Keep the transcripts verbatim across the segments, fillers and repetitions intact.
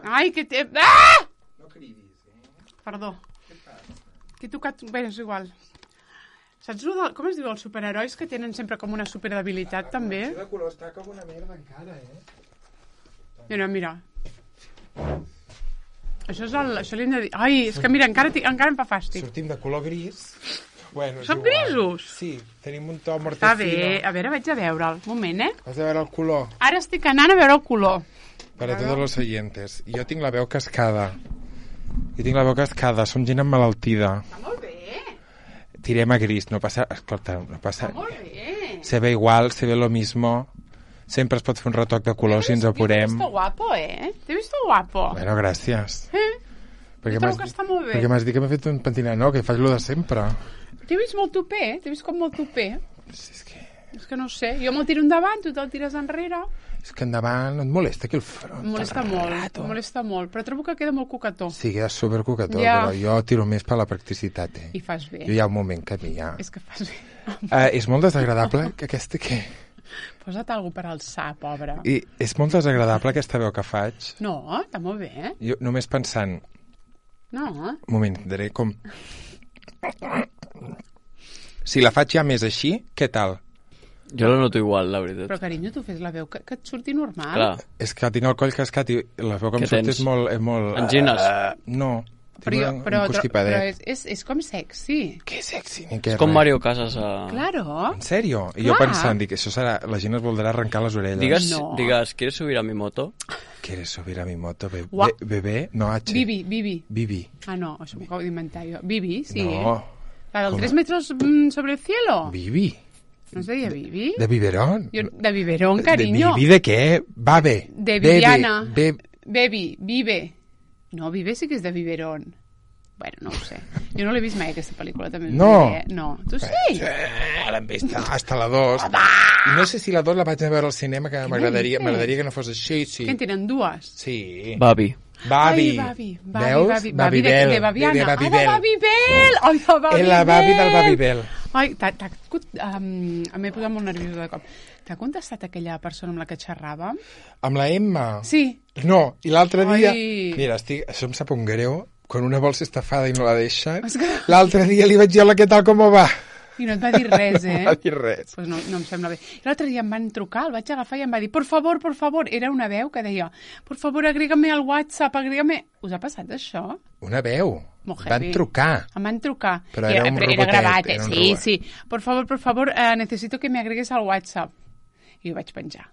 Ai, que té... Ah! No cridis, eh? Perdó. Què passa? Que he tocat... Bé, és igual. Saps el de... com es diu els superherois que tenen sempre com una superdebilitat, també? La de color està com una merda encara, eh? Mira, mira. Això és el... Això li hem de dir... Ai, és que mira, encara, encara em fa fàstic. Sortim de color gris. Bueno, Són grisos? Sí, tenim un to mortecino. Està bé. A veure, vaig a veure'l. Un moment, eh? Vas a veure el color. Ara estic anant a veure el color. Per a tots els oyentes. Jo tinc la veu cascada. Jo tinc la veu cascada. Som gent emmalaltida. Està molt bé. Tirem a gris. No passa... Escolta, no passa... Està molt bé. Se ve igual, se ve lo mismo. Sempre es pot fer un retoc de color si ens apurem. T'he vist guapo, eh? T'he vist guapo. Bueno, gràcies. Eh? Perquè Jo trobo que està molt bé. Perquè m'has dit que m'he fet un pentinat, no? Que faig lo de sempre. T'he vist molt tupé, t'he vist com molt tupé. Sí, és que... És que no ho sé, jo me'l tiro endavant, tu te'l tires enrere. És que endavant no et molesta aquí el front. Em molesta molt, rato. em molesta molt, però trobo que queda molt coquetó. Sí, queda supercoquetó, Ja. però jo tiro més per la practicitat, eh? I fas bé. Jo hi ha un moment que a mi ja... És que fas bé. Uh, és molt desagradable que aquesta que... Posa't alguna per alçar, pobra. I és molt desagradable aquesta veu que faig. No, està molt bé, eh? Jo només pensant... No, Un moment, daré com... Si la faig ja més així, què tal? Jo la noto igual, la veritat. però carinyo, tu fes la veu que, que et surti normal. Clar. És que tinc el coll cascat i la veu que em Què surt tens? és molt... És molt... Angines? Uh, no, Però, tinc jo, un, però, un però, constipadet. però és, és, és com sexy. Que sexy, ni què És com res. Mario Casas a... Claro. En sèrio? I jo Clar. pensant, dic, això serà... La gent es voldrà arrencar les orelles. Digues, No. digues, ¿quieres subir a mi moto? ¿Quieres subir a mi moto? Be Ua. be bebé? No, H. Bibi, Bibi. Bibi. Ah, no, això m'ho acabo d'inventar jo. Bibi, sí. No. La del Com? tres metros mm, sobre el cielo. Bibi. ¿No es deia Bibi? De biberón. Jo, de biberón, cariño. ¿De Bibi de qué? Babe. De Bebe, Viviana. be- Baby, Vive. No, Vive sí que és de biberón. Bueno, no ho sé. Jo no l'he vist mai, aquesta pel·lícula, també. us No. diré, eh? No. Tu sí? Sí, l'hem vist hasta la dos. I no sé si la dos la vaig a veure al cinema, que m'agradaria dices? m'agradaria que no fos així, sí. Que en tenen dues. Sí. Babi. Babi. Ai, Babi. Babi, Veus? Babi, Babi de, Babibel. de Babiana. De Ah, de Babibel. Babibel! Ai, de Babibel! És la Babi del Babibel. Ai, t'ha... t'ha um, m'he posat molt nerviosa de cop. T'ha contestat aquella persona amb la que xerràvem? Amb la Emma? Sí. No, i l'altre dia... Ai. Mira, estic... això em sap un greu, quan una vol ser estafada i no la deixen. És que- L'altre dia li vaig dir, hola, què tal, com va? I no et va dir res, eh? No va dir res. Pues no, no em sembla bé. L'altre dia em van trucar, el vaig agafar i em va dir, por favor, por favor. Era una veu que deia, por favor, agrégame al WhatsApp, agrégame... Us ha passat això? Una veu. Molt Van heavy. trucar. Em van trucar. Però I era un era robotet, gravat, eh? era un Sí, robot. sí. Por favor, por favor, eh, necesito que me agregues al WhatsApp. I ho vaig penjar.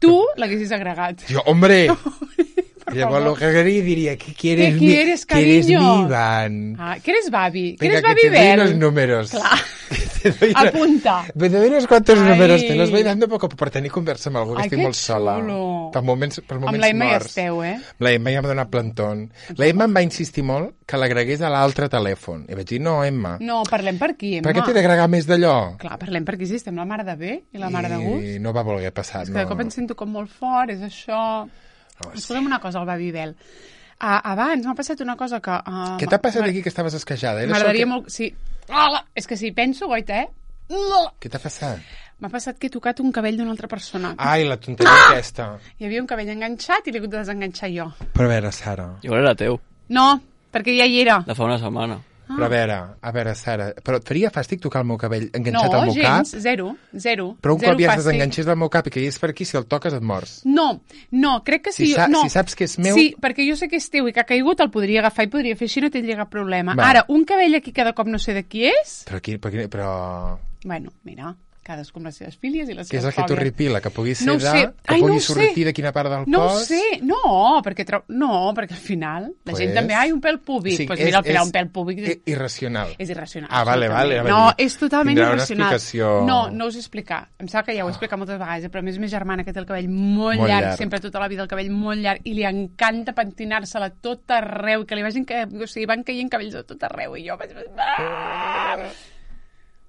Tu l'haguessis agregat. Jo, hombre... Per Llavors favor. lo que agregaria diria, ¿qué quieres, ¿Qué mi- quieres, ¿quieres cariño? mi van? Ah, que eres Babi? Que Venga, eres que te doy Babibel? los números. Clar. Te doy una- Apunta. Me doy unos cuantos Ai. números, te los voy dando poco per tenir conversa amb algú, que Ai, estic que molt sola. xulo. Per moments, per moments Amb la Emma hi morts. esteu, eh? La Emma ja m'ha donat plantón. La Emma em va insistir molt que l'agregués a l'altre telèfon. I vaig dir, no, Emma, No, parlem per aquí, Emma. per què t'he d'agregar més d'allò? Clar, parlem per aquí, sí, estem la mare de bé i la mare de gust. I no va voler passar, És que no. de cop em sento com molt fort, és això... No, sí. Escolta'm una cosa, el Babibel. Uh, abans m'ha passat una cosa que... Uh, Què t'ha passat aquí que estaves esquejada? Era M'agradaria això que... molt... Sí. Ah, és que si penso, goita, eh? Què t'ha passat? M'ha passat que he tocat un cabell d'una altra persona. Ai, la tonteria Ah! aquesta. Hi havia un cabell enganxat i l'he hagut de desenganxar jo. Però a veure, Sara, Igual era teu, No, perquè ja hi era. de fa una setmana. però a veure, a veure, Sara, però et faria fàstic tocar el meu cabell enganxat No, al meu gens, cap? zero, zero. Però un zero cop ja es fàstic. desenganxés del meu cap i caigués per aquí, si el toques et mors. No, no, crec que Si sí. sa- no. si saps que és meu- Sí, perquè jo sé que és teu i que ha caigut, el podria agafar i podria fer així, no tindria cap problema. Va. Ara, un cabell aquí cada cop no sé de qui és... Però aquí, però, aquí- però... Bueno, mira, cadascú amb les seves fílies i les Què és seves el que fòbies. t'horripila? Que pugui ser No ho de... sé. Que Ai, pugui no ho sé. sortir de quina part del No ho cos? sé, no, perquè, trau... no, perquè al final la Pues- gent també, ai, un pèl púbic. Sí, pues és- mira, el pèl, és un pèl púbic... i- irracional. És irracional. Ah, vale, vale. absolutament. anava a No, dir. és totalment Tindrà una irracional. explicació... No, no us he explicat. Em sembla que ja ho he explicat moltes vegades, eh, però a més més germana que té el cabell molt, Molt llarg, llarg. sempre tota la vida el cabell molt llarg, i li encanta pentinar-se-la tot arreu, que li vagin que, o sigui, van caient cabells de tot arreu, i jo vaig... Ah!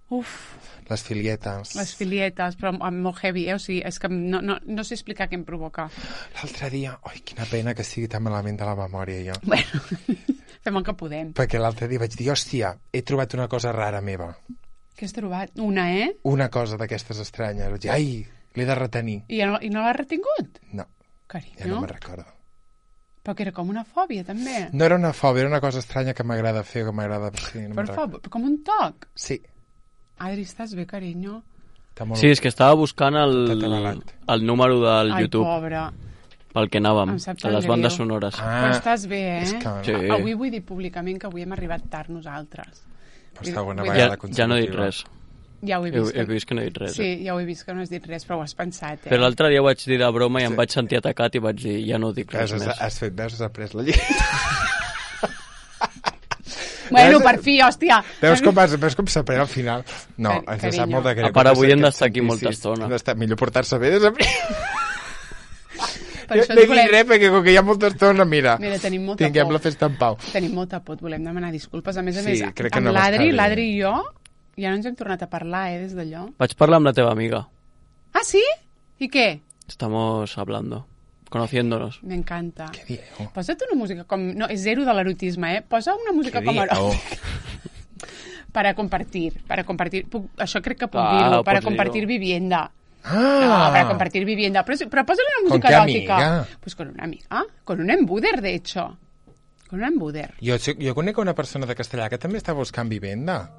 Uf, Les filietes. les filietes, però amb molt heavy, eh? O sigui, és que no, no, no sé explicar què em provoca. L'altre dia... Ai, quina pena que sigui tan malament de la memòria, jo. Bueno, fem el que podem. Perquè l'altre dia vaig dir, hòstia, he trobat una cosa rara meva. Què has trobat? Una, eh? Una cosa d'aquestes estranyes. Vaig dir, ai, l'he de retenir. I no, i no l'has retingut? No, Carinyo. ja no me'n recordo. Però que era com una fòbia, també. No era una fòbia, era una cosa estranya que m'agrada fer, que m'agrada... Sí, no Per me'n favor, com un toc. Sí. Adri, estàs bé, carinyo? Està molt... Sí, és que estava buscant el, T'ha atabalat. el número del Ai, YouTube pobre. pel que anàvem, Em sap de tan les bandes greu. sonores. Ah, Però estàs bé, eh? és que- Sí. Avui vull dir públicament que avui hem arribat tard nosaltres. Per segona Vull dir- vegada Ja, ja no he dit consecutiva. res. Ja ho he He, vist. he vist que no he dit res. Sí, Eh? ja ho he vist que no has dit res, però ho has pensat, eh? Però l'altre dia ho vaig dir de broma i em Sí. vaig sentir atacat i vaig dir, ja no ho dic res Has, més. has fet, veus, has après la llei. Bueno, Veus- per fi, hòstia. Veus com, vas, veus com s'aprèn al final? No, Cari- ens sap carinyo. molt de greu. A part, avui Tots hem aquests d'estar aquí molta sacrificis. estona. Hem d'estar- Millor portar-se bé des de primer. Per Jo això no et he dit volem... res, perquè com que hi ha molta estona, mira, Mira, tenim molta tinguem por. la festa en pau. Tenim molta por, et volem demanar disculpes. A més a Sí, més, crec que amb no va estar l'Adri, bé. l'Adri i jo, ja no ens hem tornat a parlar, eh, des d'allò. Vaig parlar amb la teva amiga. Ah, sí? I què? Estamos hablando, conociéndonos. M'encanta. Què dieu? Posa't una música com... No, és zero de l'erotisme, eh? Posa una música Què com dieu? eròtica. Para compartir, para compartir. Puc, això crec que puc Ah, dir-ho. Para pots compartir dir-ho. vivienda. Ah! No, para compartir vivienda. Però, però posa-li una música qué eròtica. amiga? Pues con una amiga. Con un embuder, de hecho. Con un embuder. Jo, jo conec una persona de Castellà que també està buscant vivenda.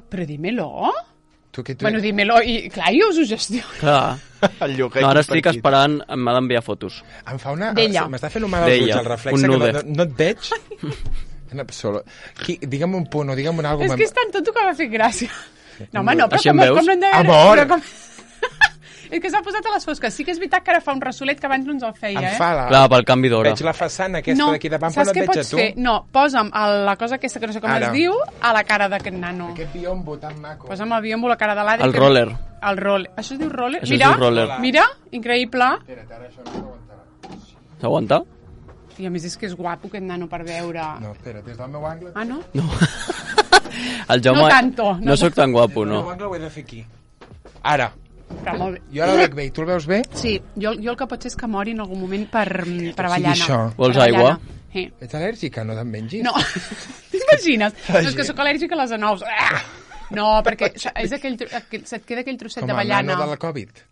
Però dímelo. Tu, que tu... Bueno, dímelo. I, clar, jo us ho gestiono. Clar. el lloguer No, ara estic compartit. esperant, m'ha d'enviar fotos. Em fa una... D'ella. M'està fent un mal als ulls, D'ella, el reflex, un que no, nude. no, no et veig. En absolut. Qui, digue'm un punt o digue'm un algo. És que és tant tot que m'ha fet gràcia. No, home, no, però Així em com, veus? com no hem de Amor! Però com... és que s'ha posat a les fosques. Sí que és veritat que ara fa un ressolet que abans no ens el feia, Em eh? fa la... Clar, pel canvi d'hora. Veig la façana aquesta no, d'aquí davant, però saps no et què veig a pots tu. fer? No, posa'm el, la cosa aquesta que no sé com Ara. es diu a la cara d'aquest nano. Aquest biombo tan maco. Posa'm el biombo a la cara de l'Adri. El que- roller. El roller. Això es diu roller? Això es mira, diu roller. mira, increïble. Espera't, ara això no s'aguantarà. S'aguanta? I a més és que és guapo aquest nano per veure. No, espera, des del meu angle... Ah, no? No. El Jaume... No tanto, no No sóc tan guapo, El meu no. angle ho he de fer aquí. Ara. Però molt bé. Jo ara el veig bé. I tu el veus bé? Sí, jo, jo el que pot ser és que mori en algun moment per, per sigui avellana. això. Vols Per avellana. aigua? Sí. Ets al·lèrgica? No te'n mengis? No, t'imagines? No, és que sóc al·lèrgica a les anous. Ah! No, perquè és aquell, tro- aquell, se't queda aquell trosset Com el d'avellana. nano del Covid.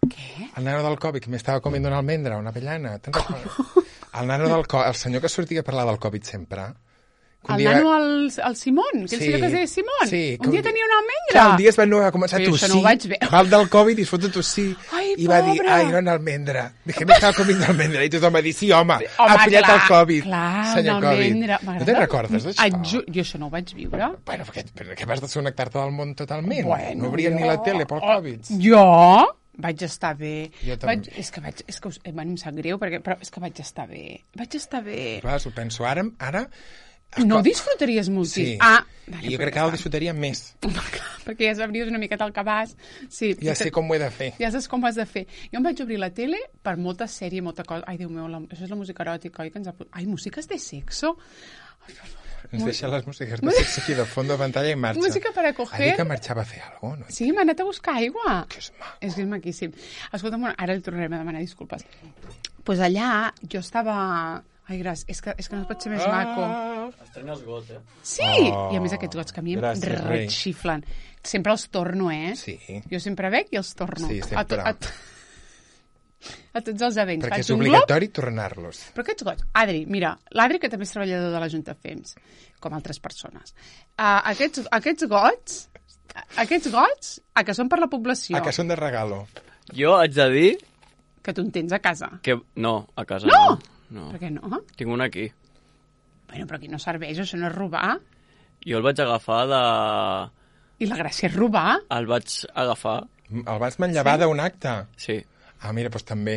Què? El nano del Covid, que m'estava comiendo una almendra, una avellana. Te'n recordes? El nano del Covid, el senyor que sortia a parlar del Covid sempre. que un El dia- nano, el, el Simón, que el Sí, senyor que es deia Simón. sí, que un dia un dia- tenia una almendra. Clar, un dia es va no, va començar a Però jo tossir. això no ho vaig veure. Va el del Covid i es fot a tossir. Ai, I va dir, pobre. ai, era una almendra. Dije, me estava comiendo almendra. I tothom va dir, sí, home, Home, ha pillat clar, el Covid, clar, senyor una Covid. almendra. No M'agrada. te'n recordes d'això? Et ju- Jo això no ho vaig viure. Bueno, perquè, perquè vas desconnectar-te del món totalment. Bueno, no obrien jo- ni la tele pel Covid. Oh, jo vaig estar bé. Jo també. Vaig, és que vaig, és que us, eh, bueno, em sap greu, perquè, però és que vaig estar bé. Vaig estar bé. Clar, ho penso, ara... ara No ho disfrutaries moltíssim. Sí. Ah, I jo crec que ara el disfrutaria més. perquè ja sabries una miqueta el que vas. Sí, Ja sé com ho he de fer. Ja saps com ho has de fer. Jo em vaig obrir la tele per molta sèrie, molta cosa. Ai, Déu meu, la, això és la música eròtica, oi? Que ens ha... Ai, músiques de sexo. Ens deixa les músiques de sexo aquí de fons de pantalla i marxa. Música para coger. Ha dit que marxava a fer alguna cosa, no? Sí, m'ha anat a buscar aigua. Que és maco. És que és maquíssim. Escolta'm, ara el tornarem a demanar disculpes. Doncs pues allà jo estava... Ai, gràcies, és que, és que no pot ser més maco. Ah, Estrenya els gots, eh? Sí! Oh, I a més aquests gots que a mi em gràcies, rei. retxiflen. Sempre els torno, eh? Sí. Jo sempre veig i els torno. Sí, sempre. A, to, a, to, a tots els events. perquè Faig és un glob. obligatori tornar-los. Però aquests gots, Adri, mira, l'Adri que també és treballador de la Junta F E M S, com altres persones, uh, aquests, aquests gots, aquests gots, a que són per la població, A que són de regalo. Jo haig de dir que tu en tens a casa. que... No, a casa No! no. no. Per què no? Tinc un aquí. Bueno, però aquí no serveix, això no és robar. Jo el vaig agafar de... I la gràcia és robar. El vaig agafar, El vas manllevar d'un acte? sí. Ah, mira, doncs també.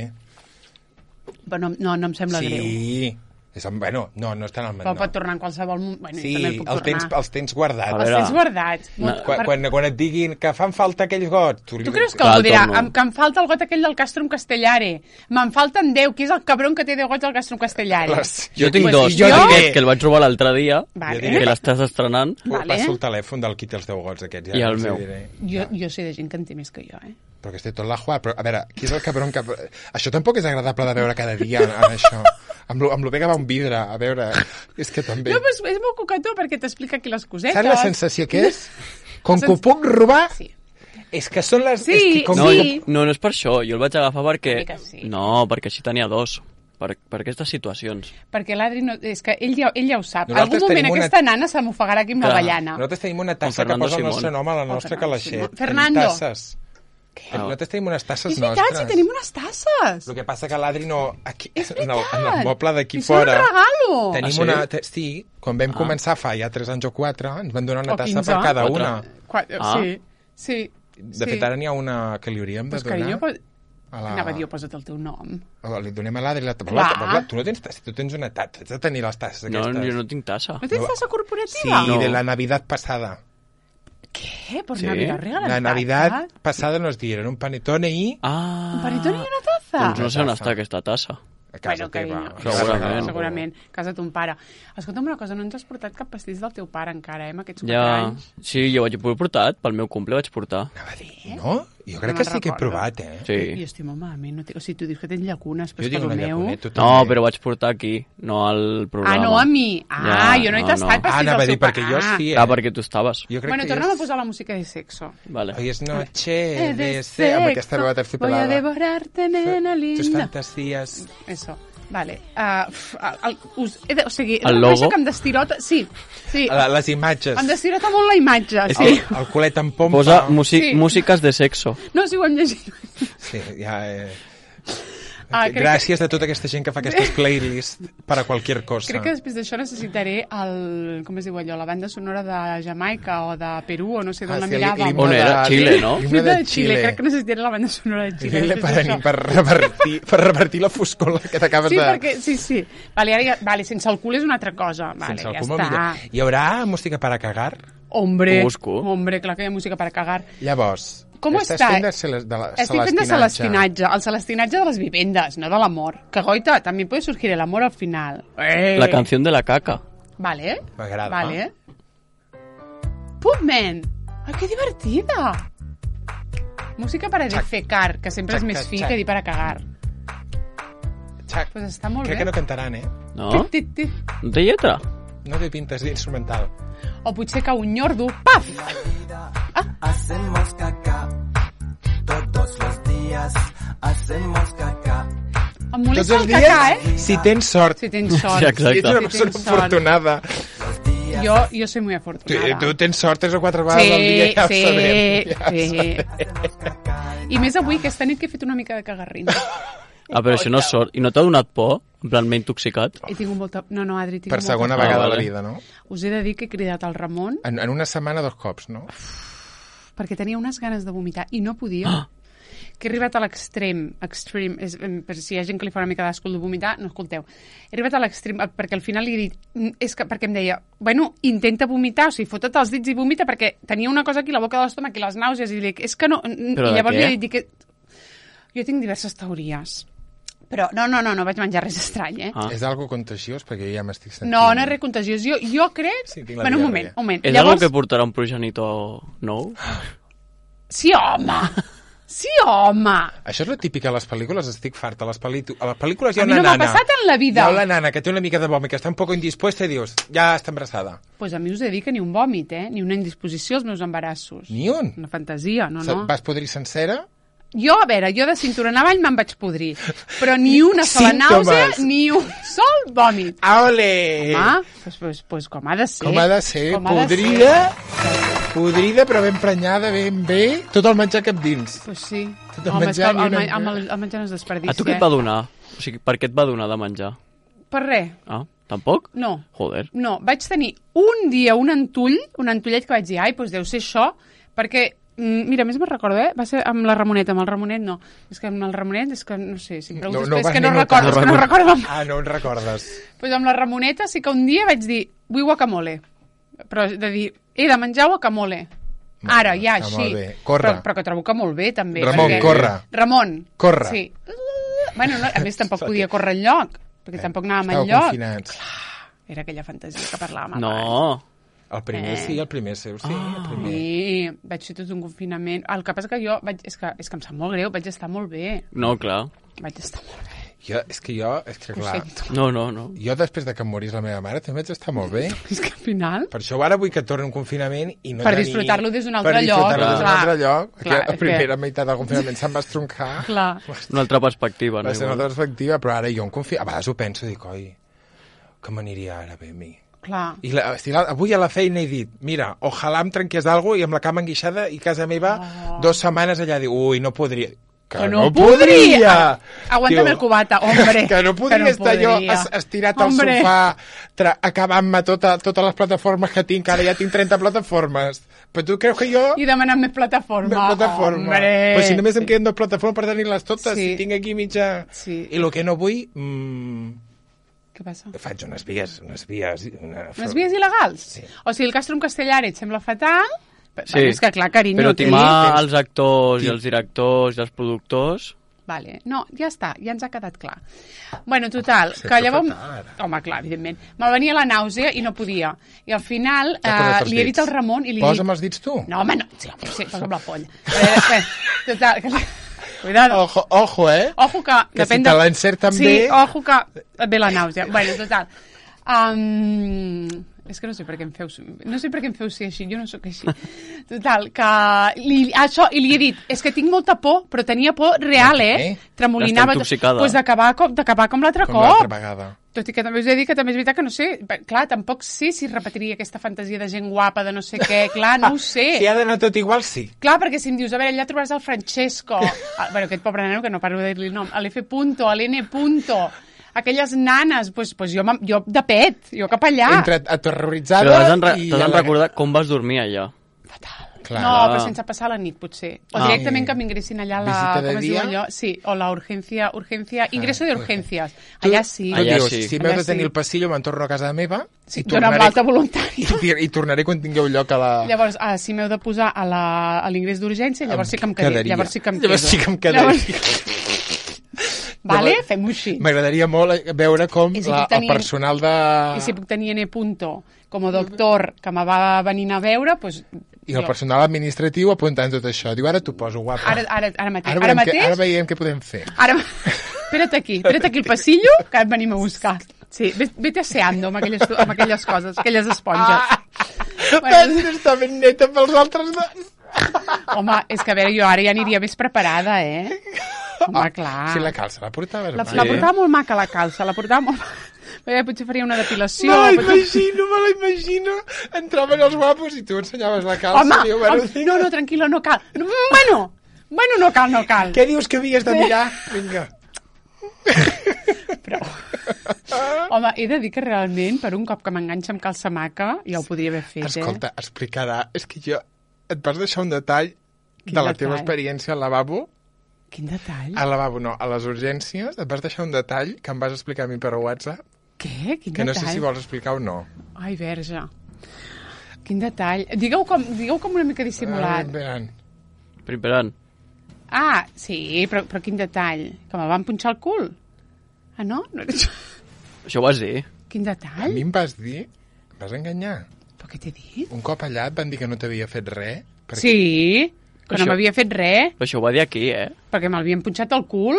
Però no, no, no em sembla greu. Sí. És, bueno, no, no estan al Però no. pot tornar en qualsevol moment. Bueno, Sí, jo també el puc el tens, tornar. els tens guardats. A Els veure, tens guardats. no, Molt- Quan, per- quan, quan et diguin que fan falta aquells gots... Tu, Tu creus que Clar, algú dirà torno. em, que em falta el got aquell del Castrum Castellare? Me'n falten deu. Qui és el cabron que té deu gots del Castrum Castellare? Les- Jo tinc Pues dos. jo Jo diré- que el vaig robar l'altre dia, Vale. que l'estàs estrenant. Vale. Passo el telèfon del qui té els deu gots aquests. Ja, I el els hi meu. diré. Jo, jo sé de gent que en té més que jo, eh? Però que esté tot la Juà. Però, a veure, qui és el cabron que... Això tampoc és agradable de veure cada dia, en això. Amb lo, amb lo bé que va un vidre, a veure... És que també... No, però és, és molt cocató perquè t'explica aquí les cosetes. Saps la sensació que és? Com La que ho sens- puc robar, Sí. és que són les... Sí, és que com No, sí. no, no és per això. Jo el vaig agafar perquè... Una mica sí. No, perquè així tenia dos. Per, per aquestes situacions. Perquè l'Adri no... És que ell ja, ell ja ho sap. En Nosaltres algun moment tenim una- aquesta nana se m'ofegarà aquí amb la Clar. ballana. Nosaltres tenim una tassa que Fernando posa el Simón. nostre nom a la nostra Fernando calaixet. Simón. Tenim Fernando. tasses. Nosaltres tenim unes tasses És veritat, nostres. si tenim unes tasses. El que passa que l'Adri no... Aquí, És en, el, veritat. en el moble d'aquí I són fora... un regalo. Tenim Ah, sí? una... Te, sí, quan vam començar fa ja tres anys o quatre, ens van donar una O tassa quinze. per cada Quatre. una. Qua... Ah. Sí, sí. De sí. fet, ara n'hi ha una que li hauríem de Pues, donar. carinyo, pues... a la... Anava a dir, oh, posa't el teu nom. O li donem a l'Adri la... Clar. la, la, tu no tens tassa, tu tens una tassa, has de tenir les tasses No, aquestes. jo no tinc tassa. No tens tassa Sí, corporativa? No. de la Navidad pasada. Què? Per Sí. Navidad regalen La Navidad tassa? pasada nos dieron un panetone i... Ah, Un panetone i una tassa? doncs no sé on Tassa. està aquesta tassa. A casa Bueno, teva. carinyo. Que Segurament. regalen. Segurament. Casa ton pare. Escolta'm una cosa, no ens has portat cap pastís del teu pare encara, eh, amb aquests quatre Ja, anys. sí, jo vaig portat, pel meu cumple vaig portar. Anava a dir, no? Jo crec No que me'n sí que he recordo. provat, eh? Sí. Jo estic molt malament. No té... O sigui, tu dius que tens llacunes, però Jo és que tinc el una meu... llacunet, tu No, també. però vaig portar aquí, no al programa. Ah, no a mi. Ah, Ja, jo no he no, tastat no. pastís Ah, anava a del dir, seu perquè pare. jo Ah. sí, eh? Clar, perquè tu estaves. Jo crec Bueno, que torna'm és... a posar la música de sexo. Vale. Hoy es noche Eh, de sexo. Amb aquesta veu Voy a terciopelada. devorarte, nena Tus linda. fantasías. Eso. Vale. Uh, el, us, he de, o sigui, he de El reconèixer logo? que em destirota... Sí, sí. La, les imatges. Em destirota molt la imatge, És sí. el, el culet en pompa. Posa músic, Sí. músiques de sexo. No, si ho hem llegit. Sí, ja... Eh... Ah, crec Gràcies a tota aquesta gent que fa aquestes playlists per a qualsevol cosa. Crec que després d'això necessitaré el... Com es diu allò? La banda sonora de Jamaica o de Perú o no sé d'on Ah, la sí, miràvem. l'himne On era? de- Xile, no? l'himne de de Xile. Xile. Crec que necessitaré la banda sonora de Xile. Xile després per, d'això. per, revertir, per revertir la foscor que t'acabes Sí, de... perquè... Sí, sí. Vale, ara ja... Vale, sense el cul és una altra cosa. Vale, Sense el ja cul molt està. millor. Hi haurà música per a cagar? Hombre, Ho busco. hombre, clar que hi ha música per cagar. Llavors, Com estàs està? fent de, cele- de la, Estic fent de celestinatge, el celestinatge de les vivendes, no de l'amor. Que goita, també puede surgir el amor al final. Eh. La canción de la caca. Vale. M'agrada. Vale. Pupman. Ai, que divertida. Música para defecar, que sempre Xac, és més xac, fi xac. que dir para cagar. Xac. Pues està molt Crec bé. que no cantaran, eh? No? Tit, tit, tit. No té lletra? No té pintes d'instrumental. O potser que un nyordo, paf! Hacemos caca todos los días. Hacemos caca. Em Tots molesta els el dies, cacà, eh? si tens sort. Si tens sort. Sí, exacte. Si ets una Si persona tens sort. afortunada. Jo, jo soy muy Tu, afortunada. tu tens sort tres o quatre vegades al dia, Sí, ja ho sí, sabem. Ja ho sí. sabem. I més avui, aquesta nit que he fet una mica de cagarrina. Ah, però això no és sort. I no t'ha donat por? En plan, m'he intoxicat? He tingut molta... No, no, Adri, tinc Per molta segona por. vegada Ah, a la vale. vida, no? Us he de dir que he cridat el Ramon En, en una setmana dos cops, no? perquè tenia unes ganes de vomitar i no podia. Ah. Que he arribat a l'extrem, extrem, és, em, per si hi ha gent que li fa una mica d'asco de vomitar, no escolteu. He arribat a l'extrem, eh, perquè al final li he dit, "Mm, és que, perquè em deia, bueno, intenta vomitar, o sigui, fota't els dits i vomita, perquè tenia una cosa aquí, la boca de l'estómac i les nàusees, i li dic, és que no... Però I de llavors què? li he dit que... Jo tinc diverses teories. Però no, no, no, no vaig menjar res estrany, eh? Ah. És algo contagiós, perquè jo ja m'estic sentint... No, no és res contagiós. Jo, jo crec... Sí, tinc la bueno, un diarrea. moment, un moment. És algo que portarà un progenitor nou? Sí, home! Sí, home! Això és la típica a les pel·lícules, estic farta. A les, pel·li... a les pel·lícules hi ha A mi una no m'ha nana. passat en la vida. Hi ha la nana que té una mica de vòmit, que està un poc indispuesta i dius, ja està embarassada. Pues a mi us he dit que ni un vòmit, eh? Ni una indisposició als meus embarassos. Ni un. Una fantasia, no, Se- no. Vas podrir sencera? Jo, a veure, jo de cintura en avall me'n vaig podrir. Però ni una sola Símptomes. nàusea, ni un sol vòmit. Ole! Home, pues, pues, pues com ha de ser. Com ha de ser? Com ha de Podrida, podrida, però ben prenyada, ben bé. Tot el menjar cap dins. Pues sí. Tot el Home, menjar és que el, ni el, una- ma- amb el, el menjar no es desperdicia. A tu què et va donar? O sigui, per què et va donar de menjar? Per res. Ah, tampoc? No. Joder. No, vaig tenir un dia un antull, un antullet que vaig dir, ai, doncs deu ser això, perquè, mm, mira, a més me'n recordo, eh? Va ser amb la Ramonet, amb el Ramonet no. És que amb el Ramonet, és que no sé, si em preguntes, No- no és vas que ni no notar. recordo, és que no recordo. Ah, no en recordes. Pues amb la Ramoneta sí que un dia vaig dir, vull guacamole. Però de dir, he de menjar guacamole. Ara, ja, està així. molt bé. Corre. Però, però que trobo que molt bé, també. Ramon, perquè- corre. Ramon. Corre. Sí. Bueno, no, a més tampoc podia córrer enlloc, perquè tampoc anàvem Estàveu enlloc. confinats. Era aquella fantasia que parlàvem abans. No. El primer Eh. sí, el primer seu sí, el primer. Sí, vaig fer tot un confinament. El que passa que jo, vaig, és, que, és que em sap molt greu, vaig estar molt bé. No, clar. Vaig estar molt bé. Jo, és que jo, és que Ho clar, sento. No, no, no. jo després de que em morís la meva mare també vaig estar molt bé. És que al final... Per això ara vull que torni un confinament i no Per tenir... disfrutar-lo des d'un altre per lloc, disfrutar-lo des d'un clar. altre lloc. Clar, Clar, la és primera que- meitat del confinament se'm va estroncar. Clar. Una altra perspectiva, no? Va ser una Igual. altra perspectiva, però ara jo em confio... A vegades ho penso, dic, oi, que m'aniria ara bé a mi. Clar. I la, si la, avui a la feina he dit, mira, ojalà em trenqués alguna cosa i amb la cama enguixada i casa meva Oh. dues setmanes allà, diu, ui, no podria... Que, Que no podria! Aguanta'm Diu, el cubata, hombre. Que no podria Que no estar jo podria. es, estirat Hombre. al sofà tra- acabant-me tota, totes les plataformes que tinc, ara ja tinc trenta plataformes. Però tu creus que jo... I demanant més plataforma. Una plataforma. Hombre. Però si només em queden dues plataformes per tenir-les totes, Sí. si tinc aquí mitja... Sí. I el que no vull... Mmm, Què passa? faig unes vies, unes vies... Una... Unes vies il·legals? Sí. O sigui, el Castrum Castellari et sembla fatal? Sí. Bueno, és que clar, carinyo... Però aquí- timar els actors Sí. i els directors i els productors... Vale. No, ja està, ja ens ha quedat clar. Bueno, total, Sí, que però llavors... fatal, ara. Home, clar, evidentment. Me'l venia la nàusea i no podia. I al final T'ha posat eh, els li he dit dits. al Ramon i li he Posa'm dit... els dits tu. No, home, no. Sí, home, sí, posa'm la polla. Eh, eh, total, que... Cuidado. Ojo, ojo, eh? Ojo que... Que depèn si te de- l'encerten sí, bé- ojo que et ve la nàusea. Bueno, total. Um, és que no sé per què em feu... No sé per què em feu ser així, jo no sóc així. Total, que... Li, això, i li he dit, és que tinc molta por, però tenia por real, eh? Eh? Tremolinava. Està intoxicada. Pues d'acabar com, d'acabar com l'altre Com l'altra cop. vegada. Tot i que també us he de dir que també és veritat que no sé... Clar, tampoc sé si repetiria aquesta fantasia de gent guapa, de no sé què. Clar, no ho sé. Si ha d'anar tot igual, sí. Clar, perquè si em dius, a veure, allà trobaràs el Francesco, ah, bueno, aquest pobre nano que no paro de dir-li el nom, a l'F punto, a l'N punto, aquelles nanes, pues, pues jo, m'em- jo de pet, jo cap allà. Entre aterroritzada Però t'has de, i... t'has de a la- recordar com vas dormir allà. Clar. No, però sense passar la nit, potser. O Ah. directament que m'ingressin allà a la... Visita de Com es diu dia? allò? Sí, o la urgencia, urgencia, ingreso de urgencias. Tu- Allà sí. Tu Allà dius, sí. si m'heu Allà de tenir sí. el passillo, me'n torno a casa meva Sí, i dona'm tornaré, l'alta voluntària. i, i tornaré quan tingueu lloc a la... Llavors, ah, si m'heu de posar a la- a l'ingrés d'urgència, llavors sí que em quedo. quedaria. Llavors sí que em Llavors quedo. sí que em quedaria. Llavors... Vale? Llavors- Fem-ho així. M'agradaria molt veure com I si la, puc tenir- el personal de... I si puc tenir N punto com a doctor que me va venint a veure, doncs... I el personal administratiu apuntant tot això. Diu, ara t'ho poso, guapa. Ara, ara, ara mateix. ara, Ara, veiem mateix... què, ara veiem què podem fer. Ara... Espera't aquí, espera't aquí el passillo, que et venim a buscar. Sí, ves- vete aseando amb aquelles, amb aquelles coses, aquelles esponges. Ah, Bueno, està ben neta pels altres dos. home, és que a veure, jo ara ja aniria més preparada, eh? Home, clar. Si la calça la portaves La, mai. la portava molt maca, la calça, la portava molt... Bé, potser faria una depilació. Me la potser- imagino, me la imagino. Entraven els guapos i tu ensenyaves la calça. Home, i diu, bueno, home, no, no, tranquil·la, no cal. No, bueno, bueno, no cal, no cal. Què dius que havies de mirar? Vinga. Però... Home, he de dir que realment, per un cop que m'enganxa amb calça maca, ja ho podria haver fet, Escolta, explicarà. És que jo... Et vas deixar un detall Quin de la detall? teva experiència al lavabo. eh? Quin detall. Al lavabo no, a les urgències. Et vas deixar un detall que em vas explicar a mi per WhatsApp, Què? Quin que no detall? sé si vols explicar o no. Ai, verge. Quin detall. Digueu com, digueu com una mica dissimulat. Ah, veran. Primperant. Ah, sí, però, però quin detall. Que me van punxar el cul. Ah, no? No era això. Això ho vas dir. Quin A detall? mi em vas dir... Em vas enganyar. Però què t'he dit? Un cop allà et van dir que no t'havia fet res. Perquè... Sí, que Això- no m'havia fet res, Però això ho va dir aquí, eh? perquè m'havien punxat el cul.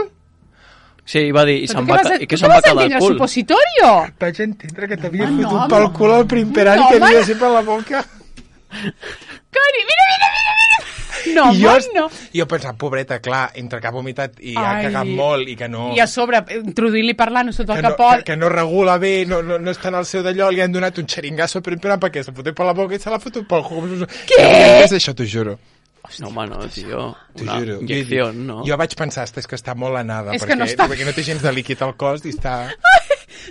Sí, va dir, i Però se'n tu va, què ca- vas a- i que tu se'n què va vas a quedar entendre, el cul. supositorio? Vaig entendre que t'havia Home, fotut no, pel home. cul al primperant No, i que home. havia sempre a la boca. Cari, mira, mira, mira, mira. No, I jo, home, no. jo pensava, pobreta, clar, entre que ha vomitat i ha Ai. cagat molt i que no... I a sobre, introduir-li parlant sota que el no, capot. que, que no regula bé, no, no, no està en el seu d'allò, li han donat un xeringasso per imperant perquè se foté per la boca i se l'ha fotut pel cul. Què? Què és això, t'ho juro? No, home, no, tio. T'ho Una juro. injecció, Jo- no? Jo vaig pensar, "Ostres, és que està molt anada, És que perquè, no està- perquè no té gens de líquid al cos i està...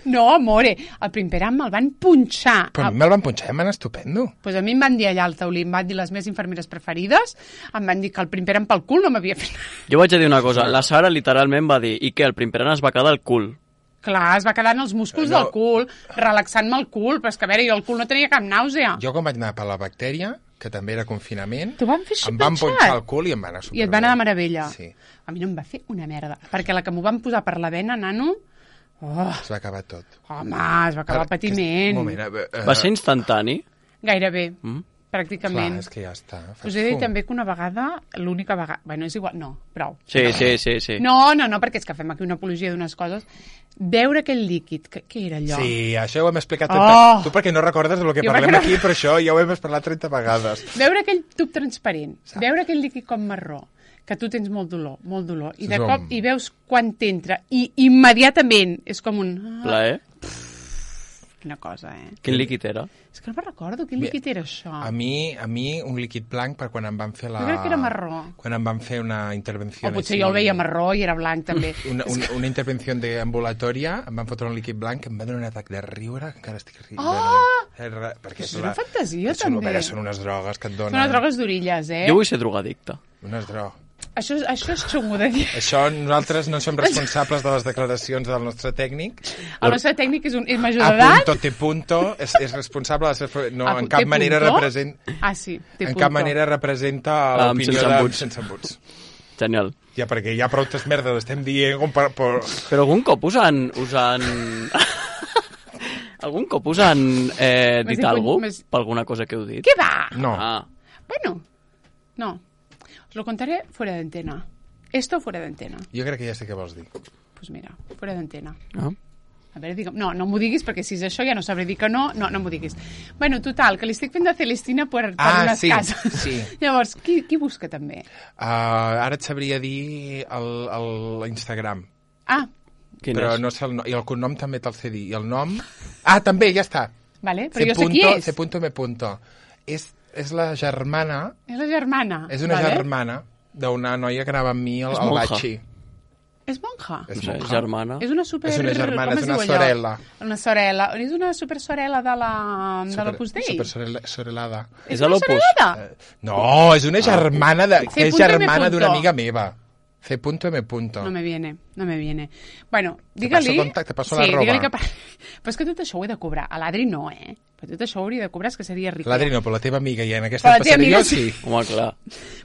No, amore, el primperam me'l van punxar. Però a mi me'l van punxar i em van estupendo. Pues a mi em van dir allà al taulí, em van dir les meves infermeres preferides, em van dir que el primperam pel cul no m'havia fet res. Jo vaig a dir una cosa. La Sara literalment va dir i que el primperant es va quedar al cul. Clar, es va quedar en els músculs No. del cul, relaxant-me el cul, però és que a veure, jo el cul no tenia cap nàusea. Jo quan vaig anar per la bactèria, que també era confinament, T'ho van fer així em van punxat? punxar el cul i em va anar superbé. I et va anar de meravella. Sí, A mi no em va fer una merda, perquè la que m'ho van posar per la vena, nano... Oh, es va acabar tot. home, es va acabar el patiment. Un moment, eh, eh, Va ser instantani? Gairebé. Mm? pràcticament. Clar, és que ja està. Us he dit també que una vegada, l'única vegada... Bueno, és igual, no, prou. Sí, sí, sí, sí. No, no, no, perquè és que fem aquí una apologia d'unes coses. Veure aquell líquid, que, què era allò? Sí, això ho hem explicat. Oh! Tu perquè no recordes del que Jo parlem perquè no- aquí, però això ja ho hem parlat trenta vegades. Veure aquell tub transparent, veure aquell líquid com marró, que tu tens molt dolor, molt dolor, i de Som. cop i veus quan t'entra, i immediatament és com un... Ah, Plaer? quina cosa, eh? Quin líquid era? És que no me'n recordo, quin líquid era això? A mi, a mi un líquid blanc per quan em van fer la... Jo crec que era marró. Quan em van fer una intervenció... O potser jo el veia marró i era blanc, també. Una, una, una intervenció de ambulatòria, em van fotre un líquid blanc que em va donar un atac de riure, que encara estic riure. Oh! Perquè És una fantasia, són, també. Són unes drogues que et donen... Són unes drogues d'orilles, eh? Jo vull ser drogadicte. Unes drogues. Això, això és xungo de dir. Això nosaltres no som responsables de les declaracions del nostre tècnic. El nostre tècnic és, un, és major A d'edat. punto, te punto, és, és responsable de ser... No, A en pu- cap te manera punto? representa... Ah, sí, té En punto. cap manera representa Amb l'opinió sense de... embuts. Sense embuts. Genial. Ja, perquè hi ha prou merdes, estem dient... Com per, per... Però algun cop us han... Us han... algun cop us han eh, Més dit de- alguna més- per alguna cosa que heu dit? Què va? No. Ah, Bueno, no. Os lo contaré fuera de antena. Esto fuera de antena. Jo crec que ja sé què vols dir. Pues mira, fuera de antena. ah. A veure, digue'm... No, no m'ho diguis, perquè si és això ja no sabré dir que no. No, no m'ho diguis. Bueno, total, que li estic fent de Celestina per, per Ah, unes sí, cases. sí. Llavors, qui, qui busca també? Uh, ara et sabria dir el- el- l'Instagram. Ah, Quin Però és? no sé el nom. I el cognom també te'l sé dir. I el nom... Ah, també, ja està. vale, però C. jo sé qui és. C. M. És, és la germana... És la germana. És una vale? germana d'una noia que anava amb mi al, És al monja. Batxi. És monja? És No sé, monja. germana. És una super... És una germana, com és es una diu allò? sorella. Una sorella. És una super sorella de la, de l'Opus Dei. Super sorella- sorellada. És És a una l'Opus. sorellada? Eh, No, és una germana de, C. que és M. germana d'una amiga meva. C. M. No me viene, no me viene. Bueno, Te digue-li... passo contacte, te passo sí, l'arroba. digue-li que... pa- Però és que tot això ho he de cobrar. A l'Adri no, eh? Però tot això ho hauria de cobrar, és que seria rica. L'Adri no, però la teva amiga, i en Però aquesta la teva passaré amiga jo, sí. Home, clar.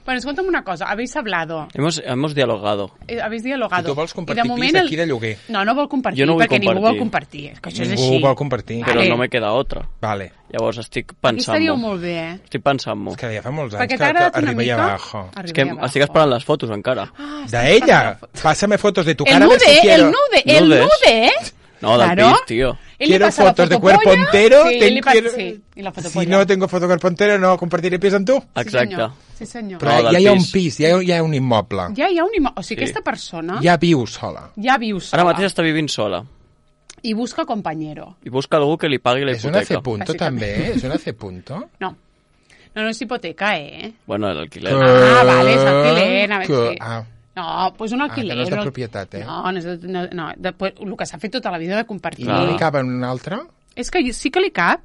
Bueno, escolta'm una cosa. Habéis hablado. Hemos, hemos dialogado. Eh, Habéis dialogado. I tu vols compartir I de moment pis aquí de lloguer. No, no vol compartir, Jo no vull perquè ningú vol compartir. compartir. És que això és Ningú així. vol compartir. Però Vale. no me queda otra. Vale. Llavors estic Aquí estaríeu pensant-m'ho. molt bé, eh? Estic pensant-m'ho. És que ja fa molts anys Perquè que, t'ha que agradat una arriba i mica? abajo. És que Arriba i estic abajo. esperant les fotos encara. Ah, De estàs ella. esperant la foto. Pásame fotos de tu El cara. a ver si nude, quiero. el nude, el Nudes. nude. No, del Claro. pis, tío. Él le Quiero pasa la fotos de fotopolla. cuerpo entero. Sí, te él le pasa- quiero- sí, y la Si fotopolla. no tengo foto de cuerpo entero, no compartiré pis amb tu. Sí, Exacte. senyor. Sí, senyor. Però No, del ja hi ha un pis. pis, ja hi ha, ja hi ha un immoble. Ja hi ha un immo... O sigui, Sí. aquesta persona Ja viu sola. ja viu sola. Ara mateix està vivint sola. I busca compañero. I busca algú que li pagui la És una C hipoteca. punto, Bàsicament. també? És una C punto? No. No, no és hipoteca, eh? Bueno, l'alquiler. Ah, vale, és alquiler, a veure, Que- sí. Ah, No, pues un alquiler. que no és de un- propietat, eh? No, no és de... No, no de, pues, el que s'ha fet tota la vida de compartir. i Clar. no li cap en un altre? És que sí que li cap.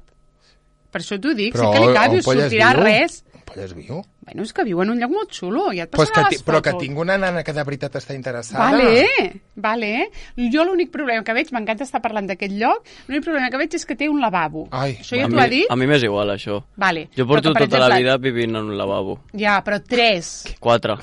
Per això t'ho dic, Però sí que li cap i on us polles sortirà viu? res. On polles viu? Bueno, és que viu en un lloc molt xulo, ja et Pues que passarà ti, les però que fotos. tinc una nana que de veritat està interessada. Vale, vale. Jo l'únic problema que veig, m'encanta estar parlant d'aquest lloc, l'únic problema que veig és que té un lavabo. Ai, Això ja a t'ho mi, ha dit? a mi m'és igual, això. Vale. Jo Però porto que, per tota la exemple, vida vivint en un lavabo. Ja, però tres. Quatre.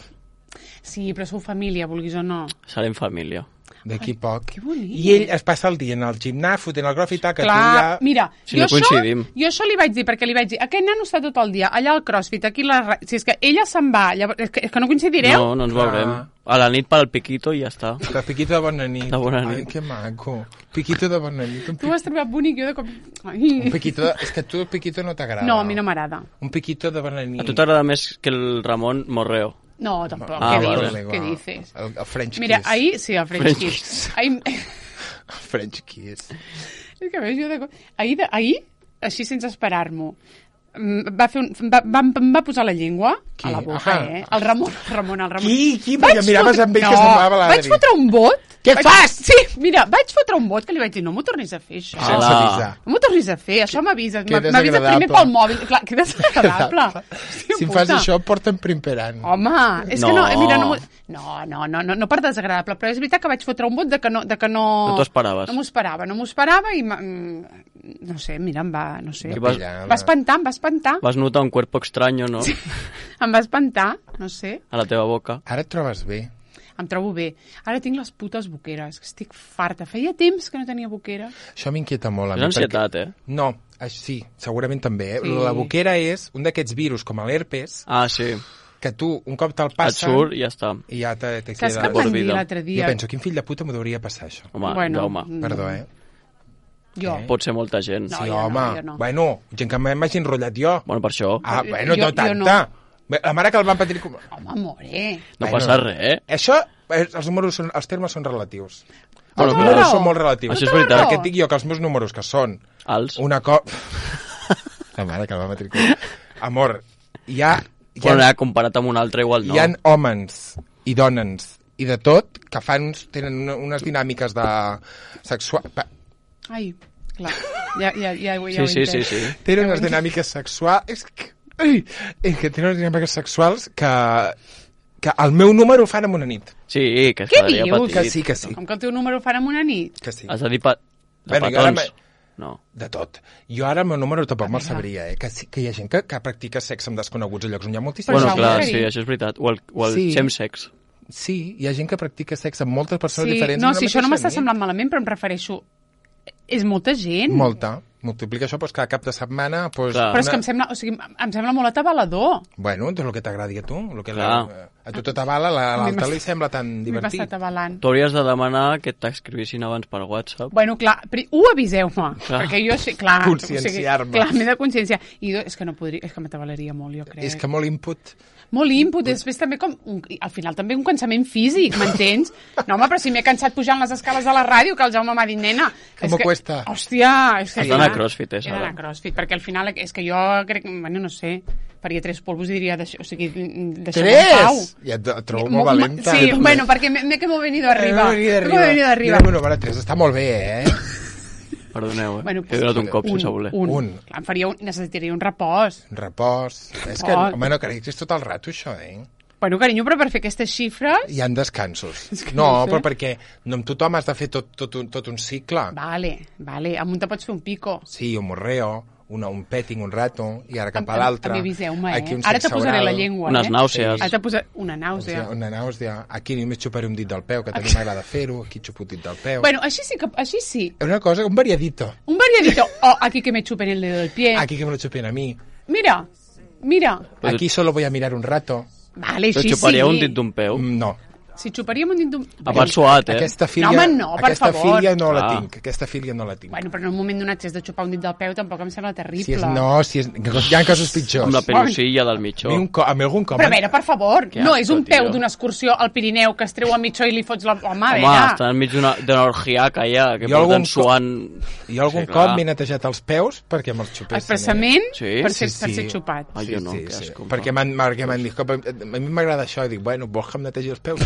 Sí, però sou família, vulguis o no. Serem família. D'aquí poc. que bonic. I ell es passa el dia en el gimnàs, fotent el graf i tal, que Clar, tu ja... mira, Si jo, no això, coincidim. jo això li vaig dir, perquè li vaig dir, aquest nano està tot el dia allà al CrossFit, aquí la... ra- Si és que ella se'n va, llavors, és, que, és que no coincidireu? No, no ens veurem. Ah. A la nit per al piquito i ja està. De piquito de bona nit. De bona Ai, nit. que maco. Piquito de bona nit. Un, Tu pi... ho has trobat bonic, jo de cop... un Ai. piquito de... És que a tu el piquito no t'agrada. No, a mi no m'agrada. Un piquito de bona nit. A tu t'agrada més que el Ramon Morreo. No, tampoc, Ah, què vale. dices? Què dices? El, el French Mira, kiss. ahir... Sí, el French, French Kiss. Ahir... El French kiss. És que veus, jo de... Ahir, de... ahir així sense esperar-m'ho, mm, va, fer un... va, va, em va posar la llengua Qui? a la boca, Ahà. eh? El Ramon, el Ramon, el Ramon. Qui? Qui? Perquè miraves amb ell que no, semblava l'Adri. vaig fotre un vot. Què vaig... fas? Sí, mira, vaig fotre un vot que li vaig dir, no m'ho tornis a fer, això. Sense Hola. avisar. No m'ho tornis a fer, això m'avises. que M'avises primer desagradable. pel mòbil. Clar, que desagradable. Hòstia Si em fas puta. això, porta'm primperant. Home, és No. que no, eh, mira, no, m'ho- no, no, no, no, no per desagradable, però és veritat que vaig fotre un vot de que no... De que no, No t'ho esperaves. No m'ho esperava, no m'ho esperava i... m'ha- mm, no sé, mira, em va... No sé. I vas- Va espantar, em va espantar. Vas notar un cuerpo extraño, no? Em va espantar, no sé. A la teva boca. Ara et trobes bé. em trobo bé. Ara tinc les putes boqueres, estic farta. Feia temps que no tenia boqueres. Això m'inquieta molt. A És mi, ansietat, perquè... eh? No, això sí, segurament també. Eh? Sí. La boquera és un d'aquests virus, com l'herpes, Ah, sí. que tu, un cop te'l Et passa... surt i ja està. I ja te, te Saps queda... què em por van dir vida. l'altre Jo dia? penso, quin fill de puta m'ho hauria passar, això? Home, Bueno, Jaume. mm, Perdó, eh? Jo. Pot ser molta gent. No, sí, jo no, home. jo no. Bueno, gent que m'hagi enrotllat jo. Bueno, per això. Ah, Jo- bueno, jo- no jo tanta. no. La mare que el van patir... Com... Home, more. No Bueno, passa res, eh? Això, eh, els números són, els termes són relatius. Bueno, els Tota números raó. són molt relatius. Això és veritat. Perquè et dic jo que els meus números, que són Alts. una cop... La mare que el va matricular. Amor, hi ha... Hi ha, Bueno, ja, comparat amb un altre, igual no. hi ha homes i dones i de tot que fan, tenen una, unes dinàmiques de sexual... pa- Ai, clar. Ja, ja, ja, ja ho Sí, sí, he sí, entès. sí. Tenen unes dinàmiques sexuals... És que, ai, és que tenen unes dinàmiques sexuals que, que el meu número ho fan en una nit. Sí, que es Què quedaria dius? petit. Que sí, que sí. Com que el teu número ho fan en una nit? Que sí. Has de dir pa... de Bueno, jo ara petons. me- No. De tot. Jo ara el meu número tampoc me'l Vinga. sabria, eh? Que, sí, que hi ha gent que, que practica sexe amb desconeguts a llocs on hi ha moltíssims. Però Bueno, això ho clar, volia sí, dir. això és veritat. O el, o el Sí. chemsex. Sí, hi ha gent que practica sexe amb moltes persones Sí, diferents. no, en una si això no mateixa m'està nit. semblant malament, però em refereixo... És molta gent. Molta. Multiplica això, doncs, cada cap de setmana... Doncs, Clar. Però és que em sembla, o sigui, em sembla molt atabalador. Bueno, doncs el que t'agradi a tu. El que Clar. la, a tu t'avala, la- A mi l'altre m'has- li sembla tan M'he divertit. passat avalant. Tu hauries de demanar que t'escrivissin abans per WhatsApp. Bueno, clar, pri- ho aviseu-me, Clar. perquè jo sé, clar... Conscienciar-me. O sigui, clar, m'he de conscienciar. I do, és que no podria, és que m'atabalaria molt, jo crec. És que molt input... Molt input, després també com... Un, al final també un cansament físic, m'entens? No, home, però si m'he cansat pujant les escales de la ràdio, que el Jaume m'ha dit, nena... Com és cuesta? Hòstia, és que... Has d'anar a CrossFit, eh, He Sara? d'anar a CrossFit, perquè al final és que jo crec... Bueno, no sé, faria tres polvos i diria... Deixa, o sigui, deixa'm en pau. Tres! Ja et et trobo Mo- molt valenta. Sí, bueno, perquè me, me que m'ho he venido arriba. Eh, Me que m'ho he venido arriba. Mira, número tres està molt bé, eh? Perdoneu, eh? Bueno, He donat un cop un, sense voler. Un. Un. Clar, em faria un, necessitaria un repòs. Repòs. És que, Repòs. home, no crec que és tot el rato, això, eh? Bueno, carinyo, però per fer aquestes xifres... Hi han descansos. que No, no sé. però perquè no amb tothom has de fer tot, tot, un, tot un cicle. Vale, vale, amb un te pots fer un pico. Sí, un morreo, una, un petting un rato, i ara cap Em- a l'altre. També aviseu-me, eh? Aquí un Ara te sexe posaré oral. la llengua, Unes eh? nàusees. Ara te posaré una O nàusea. sigui, una nàusea. Aquí només xuparé un dit del peu, que també m'agrada fer-ho. Aquí xupo un dit del peu. Bueno, així sí que... Així sí. És una cosa, un variadito. Un variadito. Oh, aquí que me chupen el dedo del pie. Aquí que me lo chupen a mí. Mira, mira. Però Aquí solo voy a mirar un rato. Vale, Però així xuparia sí. un dit d'un peu. Mm, No. Si xuparíem un dit d'un... A part suat, eh? Aquesta filia, No, home, no, per aquesta favor. filia no la Ah. tinc. Aquesta filia no la tinc. Bueno, però en un moment donat, si has de xupar un dit del peu, tampoc em sembla terrible. Si és, no, si és, hi ha casos pitjors. Amb la pelusilla del A mitjó. mi, un, co- a mi algun cop... Però a veure, per favor, Que no asco, és un peu tio. d'una excursió al Pirineu que es treu a mitjó i li fots la... Home, a Home, veure... està enmig d'una d'una orgiaca ja, que Jo algun porten suant... Jo algun Sí, cop clar. m'he netejat els peus perquè me'ls xupessin. Expressament Sí? per, Sí, ser, per sí. ser xupat. Ai, Sí, jo no, sí, que sí. asco. Perquè m'han perquè m'han dit, "Escolta, a mi m'agrada això, i dic, bueno, vols que em netegi els peus?